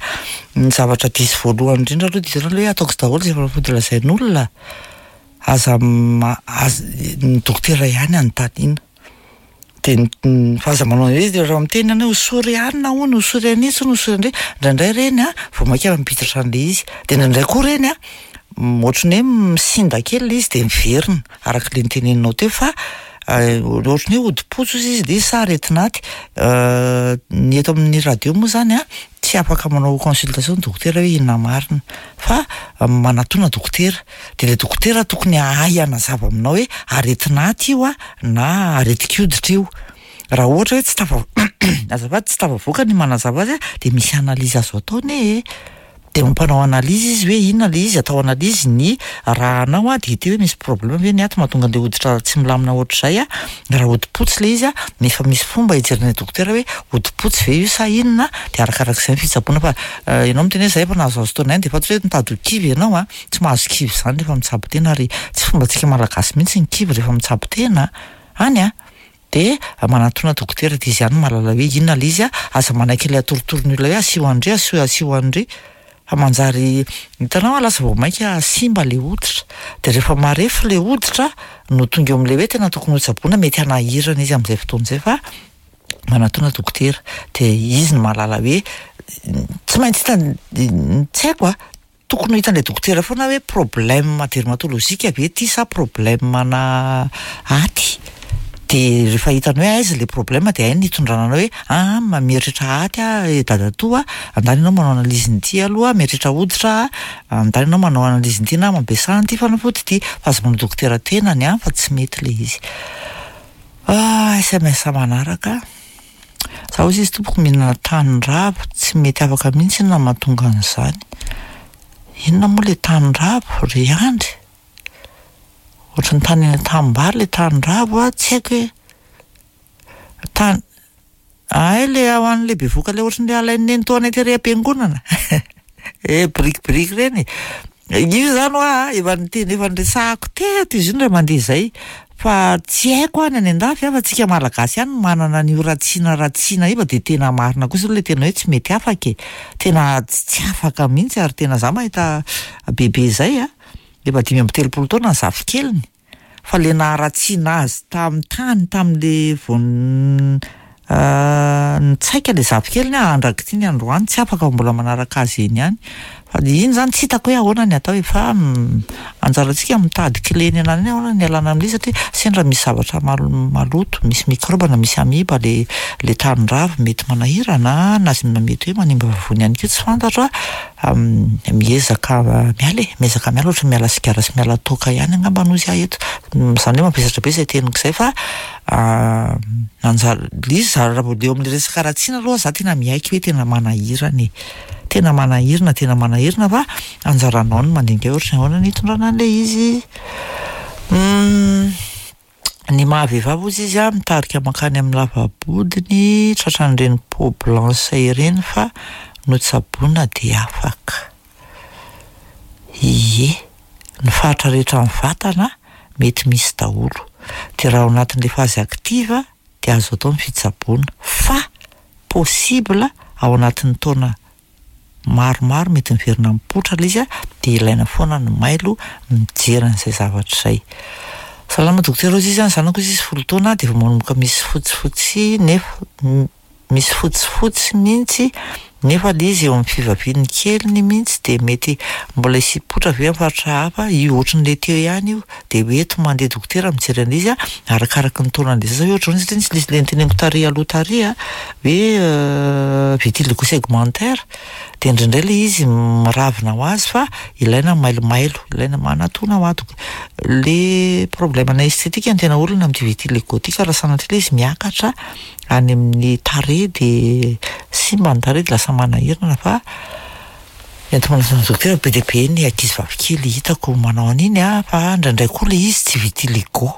Ny zavatra diso voalohany indrindra aloha de hitanao le hoe ataoko daholo izay fanafody lazain'olona, aza ma- aza ny dokotera ihany anontaniana. De ny fa aza manao an'izay izy rehefa miteny ianao hoe hosory anona hono, hosory an'itsy hono, hosory an'indry, indraindray ireny a vao mainka mampiditra an'le izy, de indraindray koa ireny a ohatran'ny hoe misinda kely le izy de miverina arak'le noteneninao teo fa ohatran'ny hoe hodi-potsy hozy izy de izy sa aretin'aty. Ny eto amin'ny radio moa zany a tsy afaka manao consultation ny dokotera hoe inona marina fa manatona dokotera, de le dokotera tokony hahay hanazava aminao hoe aretin'aty io a na aretin-koditra io. Raha ohatra hoe tsy tafa- azafady, tsy tafavoaka ny manazava azy a de misy analyse azo atao anie e, de mampanao analyse izy hoe inona le izy, atao analyse ny rànao a de hita eo hoe misy problème ve ny aty mahatonga an'le hoditra tsy milamina ohatr'izay a, raha hodi-potsy le izy a nefa misy fomba hijeren'ny dokotera hoe hodi-potsy ve io sa inona, de arakarak'izay ny fitsaboana fa ianao miteny hoe zay efa nahazoazo taona ihany de fantatro hoe mitady ho kivy ianao a, tsy mahazo kivy zany rehefa mitsabo tena ary tsy fombantsika malagasy mihitsy ny kivy rehefa mitsabo tena any a. De manatona dokotera de izy ihany no mahalala hoe inona le izy a, aza manaiky ilay atorotoro ny olona hoe asio an'indry, asio asio an'indry fa manjary hitanao a lasa vao mainka simba le hoditra, de rehefa marefo le hoditra no tonga eo amin'le hoe tena tokony hotsaboina, mety hanahirana izy amin'izay fotoana izay fa manatona dokotera de izy no mahalala hoe tsy maintsy hitany, tsy haiko a, tokony ho hitan'ilay dokotera foana hoe problème dermatologique ve ty sa problème ana aty, de rehefa hitany hoe aiza le problème de hainy ny hitondrana anao hoe ah mieritreritra aty aho e dadatoa, andany ianao manao analyse n'ity aloha, mieritreritra hoditra aho, andany ianao manao analyse n'ity na mampiasa an'ity fanafody ity, fa aza manao dokotera tenany a fa tsy mety le izy. Ah, SMS manaraka. Za hozy izy tompoko mihinana tanin-dravo, tsy mety afaka mihitsy inona mahatonga an'izany. Inona moa le tanin-dravo ry Andry? Ohatran'ny tany any an-tanimbary le tanin-dravo a, tsy haiko hoe tany ay le ao an'le bevoka le ohatran'le alain'ny nenitoanay tery am-piangonana. Eh birikibiriky ireny. Io zany hoa efa niteny efa niresahako teto izy io indray mandeha izay fa tsy haiko any any an-dafy a fa tsika malagasy ihany no manana an'io ratsiana ratsiana io fa de tena marina kosa aloha le tena hoe tsy mety afaka e, tena tsy afaka mihitsy ary tena za mahita bebe zay a, efa 35 taona ny zafikeliny fa le naharatsiana azy tamin'ny tany tamin'le vao n- Nitsaika le zafikeliny aho andrak'ity ny androany, tsy afaka fa mbola manaraka azy eny ihany. Fa le iny zany tsy hitako hoe ahoana ny atao e, fa anjarantsika mitady clé ny ananany hoe ahoana ny ialana amin'ilay izy satria sendra misy zavatra maloto, misy microbe na misy amiba le le tanin-dravy mety manahirana na mety hoe manimba vavony ihany koa tsy fantatro a, miezaka miala e, miezaka miala ohatran'ny miala sigara sy miala toaka ihany angamba hozy aho eto, izany hoe mavesatra be izay teniko izay fa anjara, le izy raha vao eo amin'le resaka haratsiana aloha za tena miaiky hoe tena manahirana e. Tena manahirana, tena manahirana fa anjaranao ny mandinika hoe ohatran'ny ahoana ny hitondrana an'ilay izy. Ny maha vehivavy hozy izy a, mitarika mankany amin'ny lava-bodiny, tratran'ireny peau blanche ireny fa notsaboina dia afaka. Ie, ny faritra rehetra amin'ny vatana mety misy daholo. Dia raha ao anatin'ilay phase active dia azo atao ny fitsaboana fa possible ao anatin'ny taona maromaro mety miverina mipoitra ilay izy a, dia ilaina foana ny mailo mijery an'izay zavatra izay. Salama dokotera hozy izy a, ny zanako hozy izy 10 taona dia efa manomboka misy fotsifotsy nefa misy fotsifotsy mihitsy nefa ilay izy eo amin'ny fivaviany keliny mihitsy dia mety mbola hisy hipoitra ve amin'ny faritra hafa, io ohatran'ilay teo ihany io, dia hoento mandeha dokotera mijery an'ilay izy a, arakaraky ny taonan'ilay zaza hoe ohatran'izao satria nisy ilay ilay noteneniko tary aloha tary a, hoe vitiligo segmentaire, dia indraindray ilay izy miravina ho azy fa ilaina mailomailo, ilaina manatona ho ato. Le problème na esthétique no tena olana amin'ity vitiligo ity ka raha sanatria ilay izy miakatra any amin'ny tarehy dia simba ny tarehy dia lasa manahirana fa ento manatona dokotera. Be dia be ny ankizy vavikely hitako manao an'iny a, fa indraindray koa ilay izy tsy vitiligo,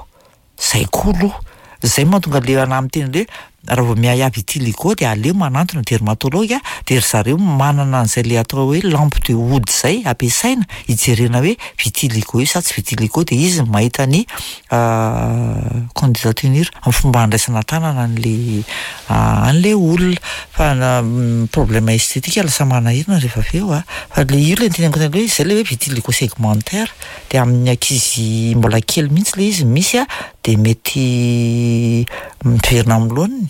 zay koa aloha, zay mahatonga le anahy miteny hoe raha vao miahiahy vitiligo dia aleo manantona dermatologue dia ry zareo manana an'izay le atao hoe lampe de Wood zay ampiasaina hijerena hoe vitiligo io sa tsy vitiligo, dia izy mahita ny candidat tenir amin'ny fomba handraisana tanana an'le an'le olona. Fa na problème esthétique lasa manahirana rehefa avy eo a, fa le io le noteneniko teo hoe zay le hoe vitiligo segmentaire, dia amin'ny ankizy mbola kely mihitsy le izy misy a, dia mety miverina amin'ny laoniny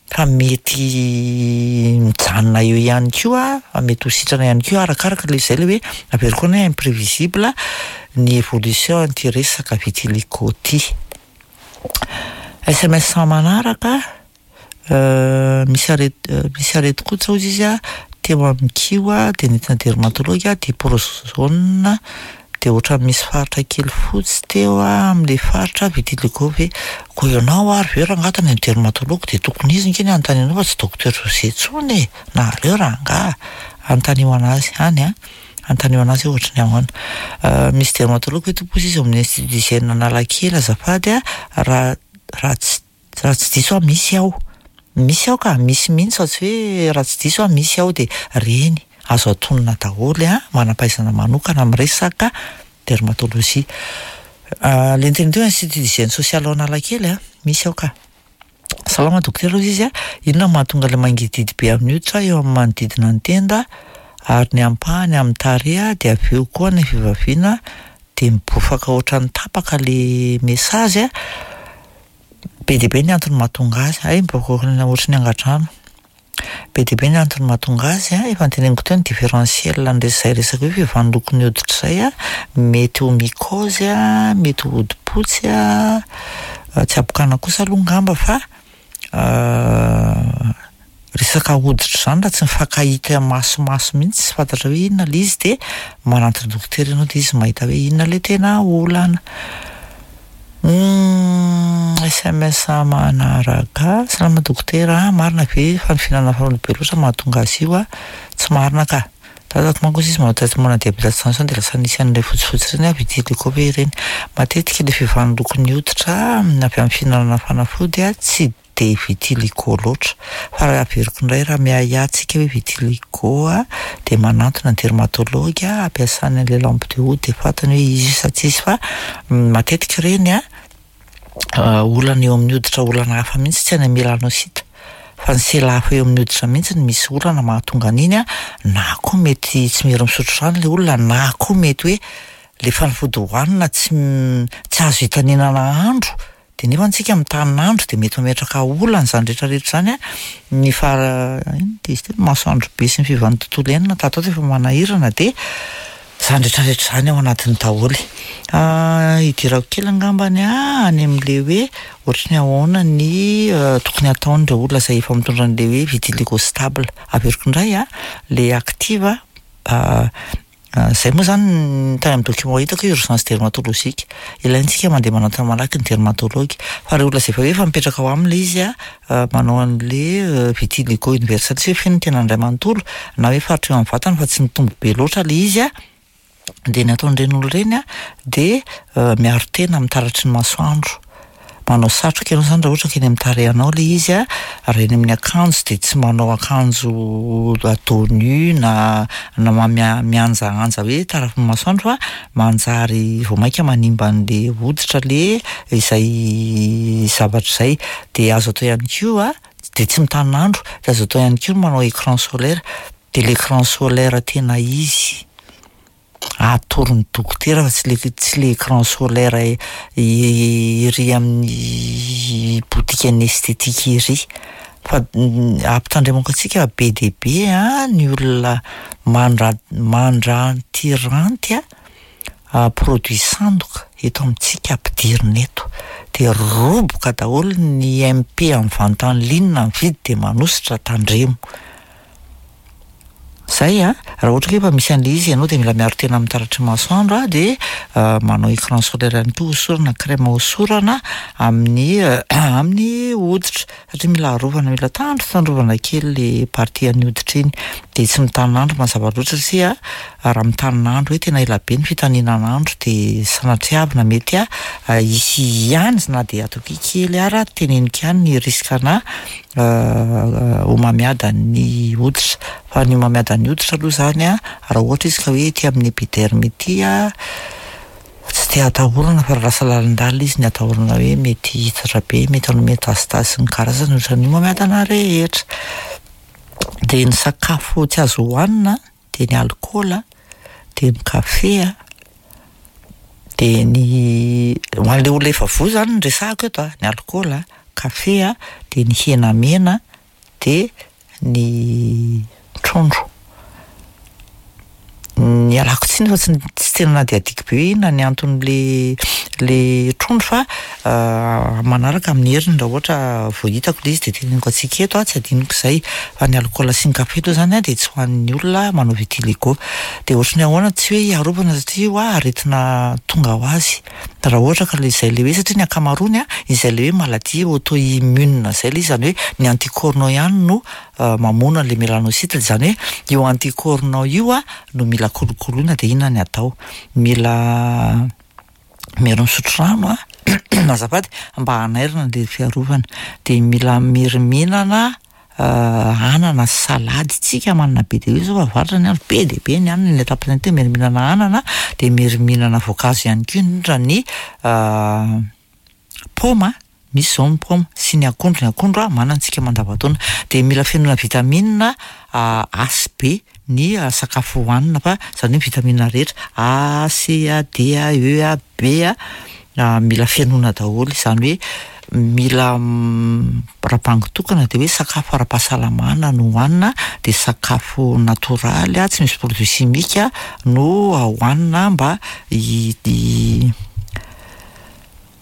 fa mety mijanona eo ihany koa, fa mety ho sitrana ihany koa arakaraka le zay le hoe averiko foana hoe imprévisible ny évolution an'ity resaka vitiligo ity. SMS manaraka, misy aret-, misy aretin-koditra hozy izy a, teo amin'ny kiho a, dia nentina dermatologue a, diprozone, dia ohatran'ny misy faritra kely fotsy teo a, amin'ilay faritra vitiligo ve. Koa ianao ary ve rangahy tany amin'ny dermatologue dia tokony izy ange ny anontanianao fa tsy docteur José intsony e, nareo rangahy, anontanio anazy any a, anontanio anazy hoe ohatran'ny ahoana. Misy dermatologue ve tompoko hozy izy ao amin'ny institut d'hygiène Analakely azafady a, raha raha tsy raha tsy diso aho misy ao, misy ao ka, misy mihitsy fa tsy hoe raha tsy diso aho misy ao dia reny azo atonina daholo a, manam-pahaizana manokana amin'ny resaka dermatologie. Le niteny teo institut d'hygiène sociale ao Analakely a, misy ao ka. Salama dokotera hozy izy a, inona no mahatonga ilay mangidihidy be amin'ny hoditra eo amin'ny manodidina ny tenda ary ny ampahany amin'ny tarehy dia avy eo koa ny fivaviana dia mibofaka ohatran'ny tapaka le message a. Be dia be ny antony mahatonga azy, hay miboaka ohatran'ny angadrano. Be dia be ny antony mahatonga azy a, efa noteneniko teo ny différentiel an'izay resaka hoe fiovan'ny lokon'ny hoditra izay a, mety ho mycose a, mety ho hodi-potsy a, tsy habokana kosa aloha angamba fa resaka hoditra izany raha tsy mifankahita masomaso mihitsy tsy fantatra hoe inona ilay izy dia manantona dokotera ianao dia izy mahita hoe inona ilay tena olana. SMS manaraka, salama dokotera, marina ve fa ny fihinanana fanafody be loatra mahatonga azy io a? Tsy marina ka. Dadako manko izy manao traitement na diabète tension dia lasa nisy an'ilay fotsifotsy ireny a, vitiligo ve ireny? Matetika ilay fiovan'ny lokon'ny hoditra avy amin'ny fihinanana fanafody a tsy dia vitiligo loatra. Fa raha averiko indray raha miahiahy antsika hoe vitiligo a, dia manantona dermatologue ampiasany an'ilay lampe de Wood dia fantany hoe izy io sa tsy izy fa matetika ireny a olana eo amin'ny hoditra olana hafa mihitsy tsy any amin'ny mélanocyte fa ny sela hafa eo amin'ny hoditra mihitsy no misy olana mahatonga an'iny a, na koa mety tsy miery misotro rano ilay olona, na koa mety hoe le fanafody hohanina tsy tsy azo hitanenana andro. De nefa antsika mitanin'andro de mety mametraka olana izany rehetra rehetra izany a, ny fara inona ty izy ty, masoandro be sy ny fiovan'ny tontolo iainana tato ato efa manahirana de izany rehetra rehetra izany ao anatiny daholo. Hidirako kely angambany a any amin'le hoe ohatry ny ahoana ny tokony hataon'ireo olona izay efa mitondra an'le hoe vitiligo stable. Averiko indray a, le active Izay moa izany ny tany amin'ny document hitako hoe urgence dermatologique. Ilaintsika mandeha manantona malaky ny dermatologue. Fa ireo olona izay efa hoe efa mipetraka ao aminy ilay izy an, manao an'ilay vitiligo universel tsy hoe feno ny tenany iray manontolo na hoe faritra eo amin'ny vatany fa tsy mitombo be loatra ilay izy an, dia ny ataon'ireny olona ireny an dia miaro tena amin'ny taratry ny masoandro. Manao satroka ianao izany raha ohatra ka eny amin'ny tarehinao ilay izy an, raha eny amin'ny akanjo dia tsy manao akanjo à dos nu na na mihanjahanja hoe tarafin'ny masoandro fa manjary vao mainka manimba an'ilay hoditra ilay izay zavatra izay. Dia azo atao ihany koa dia tsy mitanin'andro, dia azo atao ihany koa ny manao écran solaire, dia l'écran solaire tena izy. Atoron'ny dokotera fa tsy le tsy le écran solaire ery amin'ny botikan'ny esthétique ery. Fa ampitandremako antsika fa be dia be an ny olona mandra- mandrantiranty an produit sandoka eto amintsika ampidirina eto. Dia roboka daholo ny MP amin'ny vente en ligne mividy dia manosotra tandremo. Zay a! Raha ohatra ka efa misy an'ilay izy ianao dia mila miaro tena amin'ny taratry ny masoandro a, dia manao écran solaire ihany koa hosorana, crème hosorana amin'ny amin'ny hoditra satria mila arovana, mila tandrotandrovana kely le partie an'ny hoditra iny, dia tsy mitanin'andro mazava loatra satria raha mitanin'andro hoe tena ela be ny fitaninan'andro dia sanatriavina mety hisy ihany na dia ataoko hoe kely ara teneniko ihany ny risque ana homamiadan'ny hoditra. Fa ny homamiadan'ny hoditra aloha izany an, raha ohatra izy ka hoe ety amin'ny épiderme ety an, tsy dia atahorana fa raha lasa lalindalina izy ny atahorana hoe mety hihitatra be, mety hanome tasitasy sy ny karazany ohatran'ny homamiadana rehetra. Dia ny sakafo tsy azo hohanina dia ny alikaola, dia ny kafe an, dia ny ho an'ilay olona efa voa izany no resahako eto an, ny alikaola, kafe an, dia ny hena mena, dia ny trondro. Ny ialako tsiny fa tsy tsy tena nadihadiako be hoe inona ny anton'le le trondro fa manaraka amin'ny heriny raha ohatra vao hitako le izy dia teneniko antsika eto an, tsy adinoko izay. Fa ny alikaola sy ny kafe aloha izany an dia tsy ho an'ny olona manao vitiligo. Dia ohatry ny ahoana, tsy hoe hiarovana satria hoa aretina tonga ho azy. Raha ohatra ka le izay le hoe satria ny ankamaroany an, izay le hoe maladie auto-immune izay le izy, izany hoe ny anticorps-nao ihany no mamono an'le mélanocyte, izany hoe io anticorps-nao io an no mila kolokoloina dia inona ny atao? Mila miaro misotro rano an, azafady, mba hanairana le fiarovana, dia mila miriminana anana sy salady tsika manana be dia be zao fa avaratra ny andro be dia be ny anana ny atapany aty miery mihinana anana dia miery mihinana voankazo ihany koa indrindra ny paoma misy zao ny paoma sy ny akondro ny akondro a manana tsika mandavantaona dia mila fenoina vitamine A sy B ny sakafo hohanina fa izany hoe vitamine rehetra A, C A, D A, E A, B A mila fenoina daholo izany hoe mila raha bango tokana dia hoe sakafo ara-pahasalamana no hohanina dia sakafo natoraly tsy misy produit chimique no hohanina mba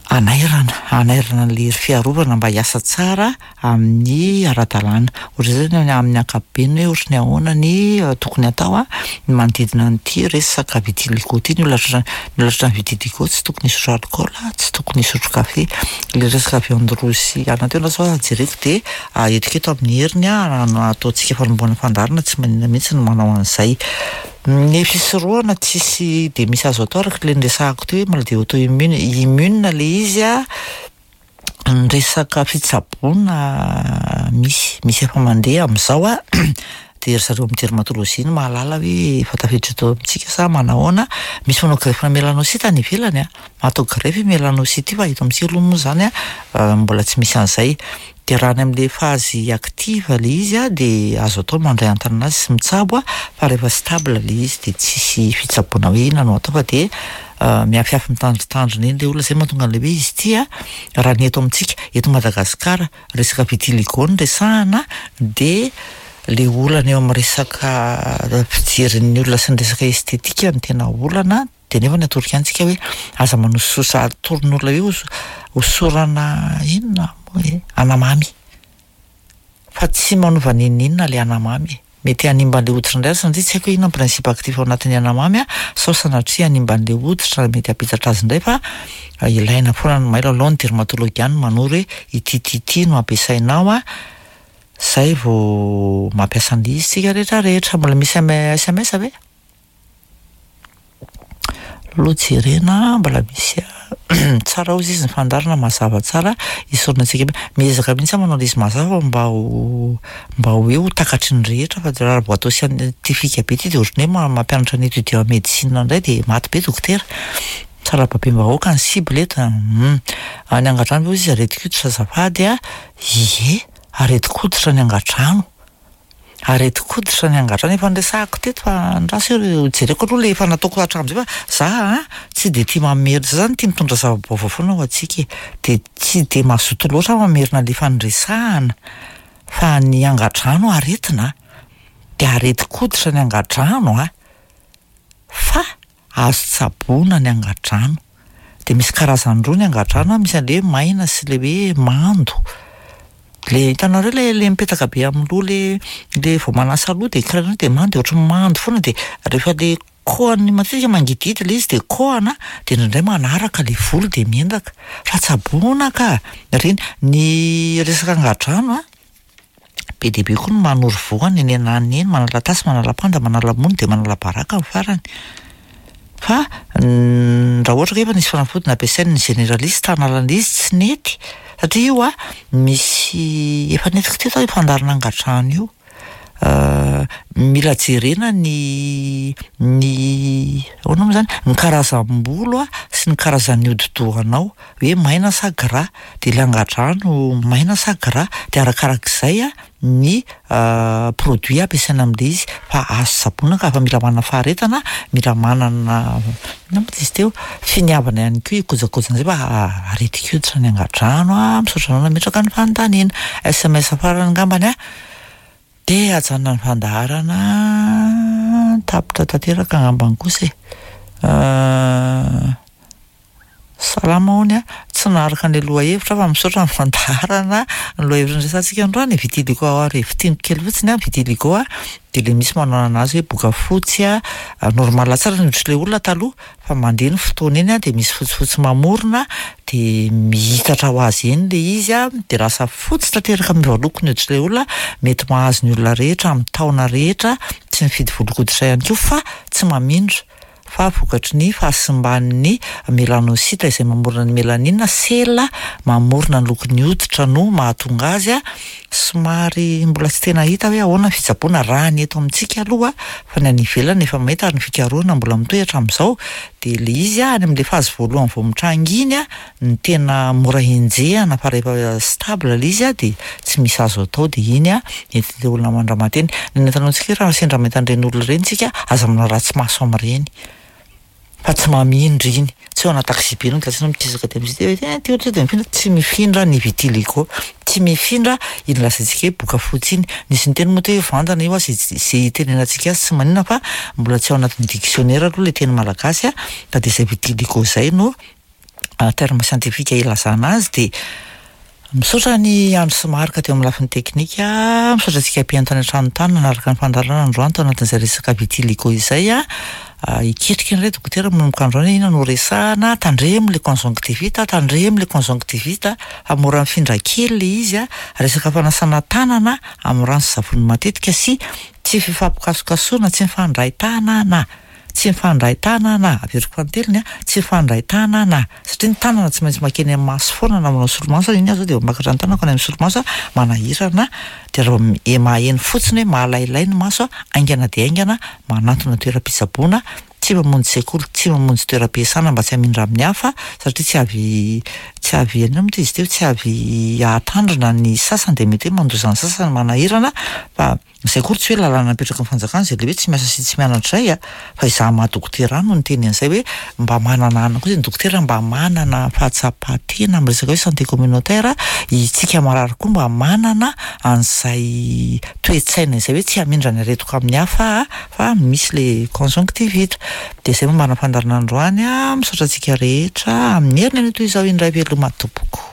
hanairana, hanairana an'ilay hery fiarovana mba hiasa tsara amin'ny ara-dalàna. Ohatr'izay zany amin'ny ankapobeny hoe ohatry ny ahoana ny tokony hatao an, ny manodidina an'ity resaka vitiligo ity, ny olona tratra ny olona tratran'ny vitiligo tsy tokony hisotro alikaola, tsy tokony hisotro kafe. Ilay resaka viande rouge sy anana teo aloha zao jereko dia entiko eto amin'ny heriny an, ataontsika fanombohana fandaharana tsy maninona mihitsy ny manao an'izay. Ny fisorohana tsisy dia misy azo atao araka ilay niresahako teo hoe maladie auto-immune, immune ilay izy an, ny resaka fitsaboana misy, misy efa mandeha amin'izao an, dia ry zareo amin'ny dermatologie no mahalala hoe efa tafiditra eto amintsika sa manahoana, misy manao greffe mélanocyte any ivelany an, atao greffe io mélanocyte io fa eto amintsika aloha moa izany an mbola tsy misy an'izay. Dia raha any amin'ilay phase active ilay izy an, dia azo atao ny mandray an-tanana azy sy mitsabo an, fa rehefa stable ilay izy dia tsisy fitsaboana hoe inona no atao fa dia. Miafiafy mitandrintandrina eny le olona, zay mahatonga an'le hoe izy ity a, raha ny eto amintsika, eto Madagasikara, resaka vitiligo no resahana dia le olana eo amin'ny resaka fijerin'ny olona sy ny resaka estetika no tena olana, dia nefa ny atoroko ihany tsika hoe aza manosososa, atoron'olona hoe hosorana inona moa e, anamamy. Fa tsy manova n'inon'inona ilay anamamy e. Mety hanimba an'ilay hoditra indray aza satria tsy haiko hoe inona ny principe actif ao anatin'ny anamamy a, sao sanatria hanimba an'ilay hoditra mety hampitatra azy indray fa ilaina foana ny mailo aleo ny dermatologue ihany no manoro hoe ity ity ity no ampiasainao a, zay vao mampiasa an'ilay izy tsika rehetra rehetra. Mbola misy sms ve? Aloha jerena mbola misy tsara hozy izy ny fandaharana mazava tsara hisorona antsika miezaka mihitsy aho manao ilay izy mazava mba ho mba hoe ho takatry ny rehetra fa raha vao atao scientifique be ity dia ohatran'ny hoe mampianatra ny étudiant en médecine indray dia maty be dokotera. Tsara babem-bahoaka ny cible eto a. Any angadrano ve hozy izy aretin-koditra azafady a? Ie, aretin-koditra ny angadrano. Aretin-koditra ny angadrano efa niresahako teto fa andraso eo jereko aloha le efa nataoko hatramin'izay fa za a tsy de tia mamerina, za zany tia mitondra zava-baovao foana ho antsika e, de tsy de mazoto loatra aho mamerina le efa niresahana fa ny angadrano aretina de aretin-koditra ny angadrano a fa Azo tsaboina ny angadrano. Dia misy karazany roa ny angadrano an, misy an'ilay hoe maina sy ilay hoe mando. Ilay hitanareo ilay ilay mipetaka be amin'ny loha ilay ilay vao manasa loha dia karaha dia mando dia ohatran'ny mando foana dia rehefa ilay kohany matetika mangidihidy ilay izy dia kohana dia indraindray manaraka ilay volo dia miendaka. Fa tsaboina ka! Ireny, ny resaka angadrano an, Be dia be koa ny manoro voany eny ananona eny, manala tasy, manala panda, manala mony dia manala baraka ny farany. Fa raha ohatra ka efa nisy fanafody nampiasain'ny généraliste hanalana izy tsy nety satria io a misy efa nentiko teto aho io fandaharana angadrano io. Mila jerena ny ny ahoana moa izany ny karazam-bolo a sy ny karazan'ny hodi-dohanao. hoe maina sa gras, dia ilay angadrano maina sa gras, dia arakarak'izay ny produit ampiasaina amin'ilay izy fa azo tsaboina ka, fa mila manana faharetana, mila manana inona moa izy teo, finiavana ihany koa hikojakoja an'izay fa aretin-koditra ny angadrano a, misaotra anao nametraka ny fanontaniana. Sms farany angambany a, dia ajanona ny fandaharana, tapitra tanteraka angambany kosa e. Salama hono a! Tsy naharaka an'ilay lohahevitra aho fa misaotra ny fandaharana. Ny lohahevitra niresahantsika androany, vitiligo ary fintiniko kely fotsiny a, vitiligo a, dia ilay misy manao an'azy hoe boka fotsy a, normal tsara ny hoditr'ilay olona taloha fa mandeha ny fotoana eny a dia misy fotsifotsy mamorona dia mihitatra ho azy eny ilay izy a, dia lasa fotsy tanteraka miova loko ny hoditr'ilay olona, mety mahazo ny olona rehetra amin'ny taona rehetra, tsy mifidy volon-koditra ihany koa fa tsy mamindra. fa vokatry ny fahasimban'ny melanocytes izay mamorona ny mélanine, sela mamorona ny lokon'ny hoditra no mahatonga azy, somary mbola tsy tena hita hoe ahoana ny fitsaboana raha ny eto amintsika aloha fa ny any ivelany efa mahita ary ny fikarohana mbola mitohy hatramin'izao dia ilay izy any amin'ilay phase voalohany vao mitranga iny ny tena mora henjehana fa rehefa stable ilay izy dia tsy misy azo atao dia iny entin'ilay olona mandramaty eny. Ny nataontsika hoe raha sendra mahita an'ireny olona ireny isika aza manao ratsy maso amin'ireny fa tsy mamindra iny. Tsy hoe ana taxi-be ianao dia lasa ianao mikisaka dia misy hoe eh ty ohatra dia mifindra, tsy mifindra ny vitiligo, tsy mifindra iny lazaintsika hoe boka fotsy iny. Nisy niteny moa teo hoe vandana io aza izay itenenantsika azy tsy maninona fa mbola tsy ao anatin'ny dictionnaire aloha ilay teny malagasy fa dia izay vitiligo izay no terme scientifique ilazana azy dia misaotra an'i Andry sy Marc teo amin'ny lafiny teknika, misaotra antsika mpihaino tany an-trano tany nanaraka ny fandaharana androany tao anatin'izay resaka vitiligo izay a, hiketrika indray dokotera manomboka androany hoe inona no resahana, tandremo le conjonctivite, tandremo le conjonctivite fa mora mifindra kely le izy a, resaka fanasana tanana amin'ny rano sy savony matetika sy tsy fifampikasokasoana, tsy mifandray tanana. Tsy mifandray tanana, averiko fanintelony a, tsy mifandray tanana, satria ny tanana tsy maintsy makeny amin'ny maso foana na manao solomaso aza, iny aho zao dia mampakatra ny tanako any amin'ny solomaso a, manahirana, dia raha vao maheno fotsiny hoe mahalailay ny maso a, haingana dia haingana manantona toeram-pitsaboana, tsy mamonjy sekoly, tsy mamonjy toeram-piasana mba tsy hamindra amin'ny hafa satria tsy avy tsy. tsy avy inona moa izy teo, tsy avy hahatandrina ny sasany dia mety hoe mandoza ny sasany manahirana fa izay akory tsy hoe lalàna napetraky ny fanjakana izay le hoe tsy miasa sy tsy mianatra izay a, fa izaho maha dokotera ahy no niteny an'izay hoe mba manana anona koa izay ny dokotera mba manana fahatsapan-tena amin'ny resaka hoe santé communautaire, isika marary koa mba manana an'izay toe-tsaina izay hoe tsy hamindra ny aretiko amin'ny hafa aho fa misy le conjonctivite. Dia izay momba ny fandaharana androany a, misaotra antsika rehetra, amin'ny heriny anio toy izao indray veloma tompoko.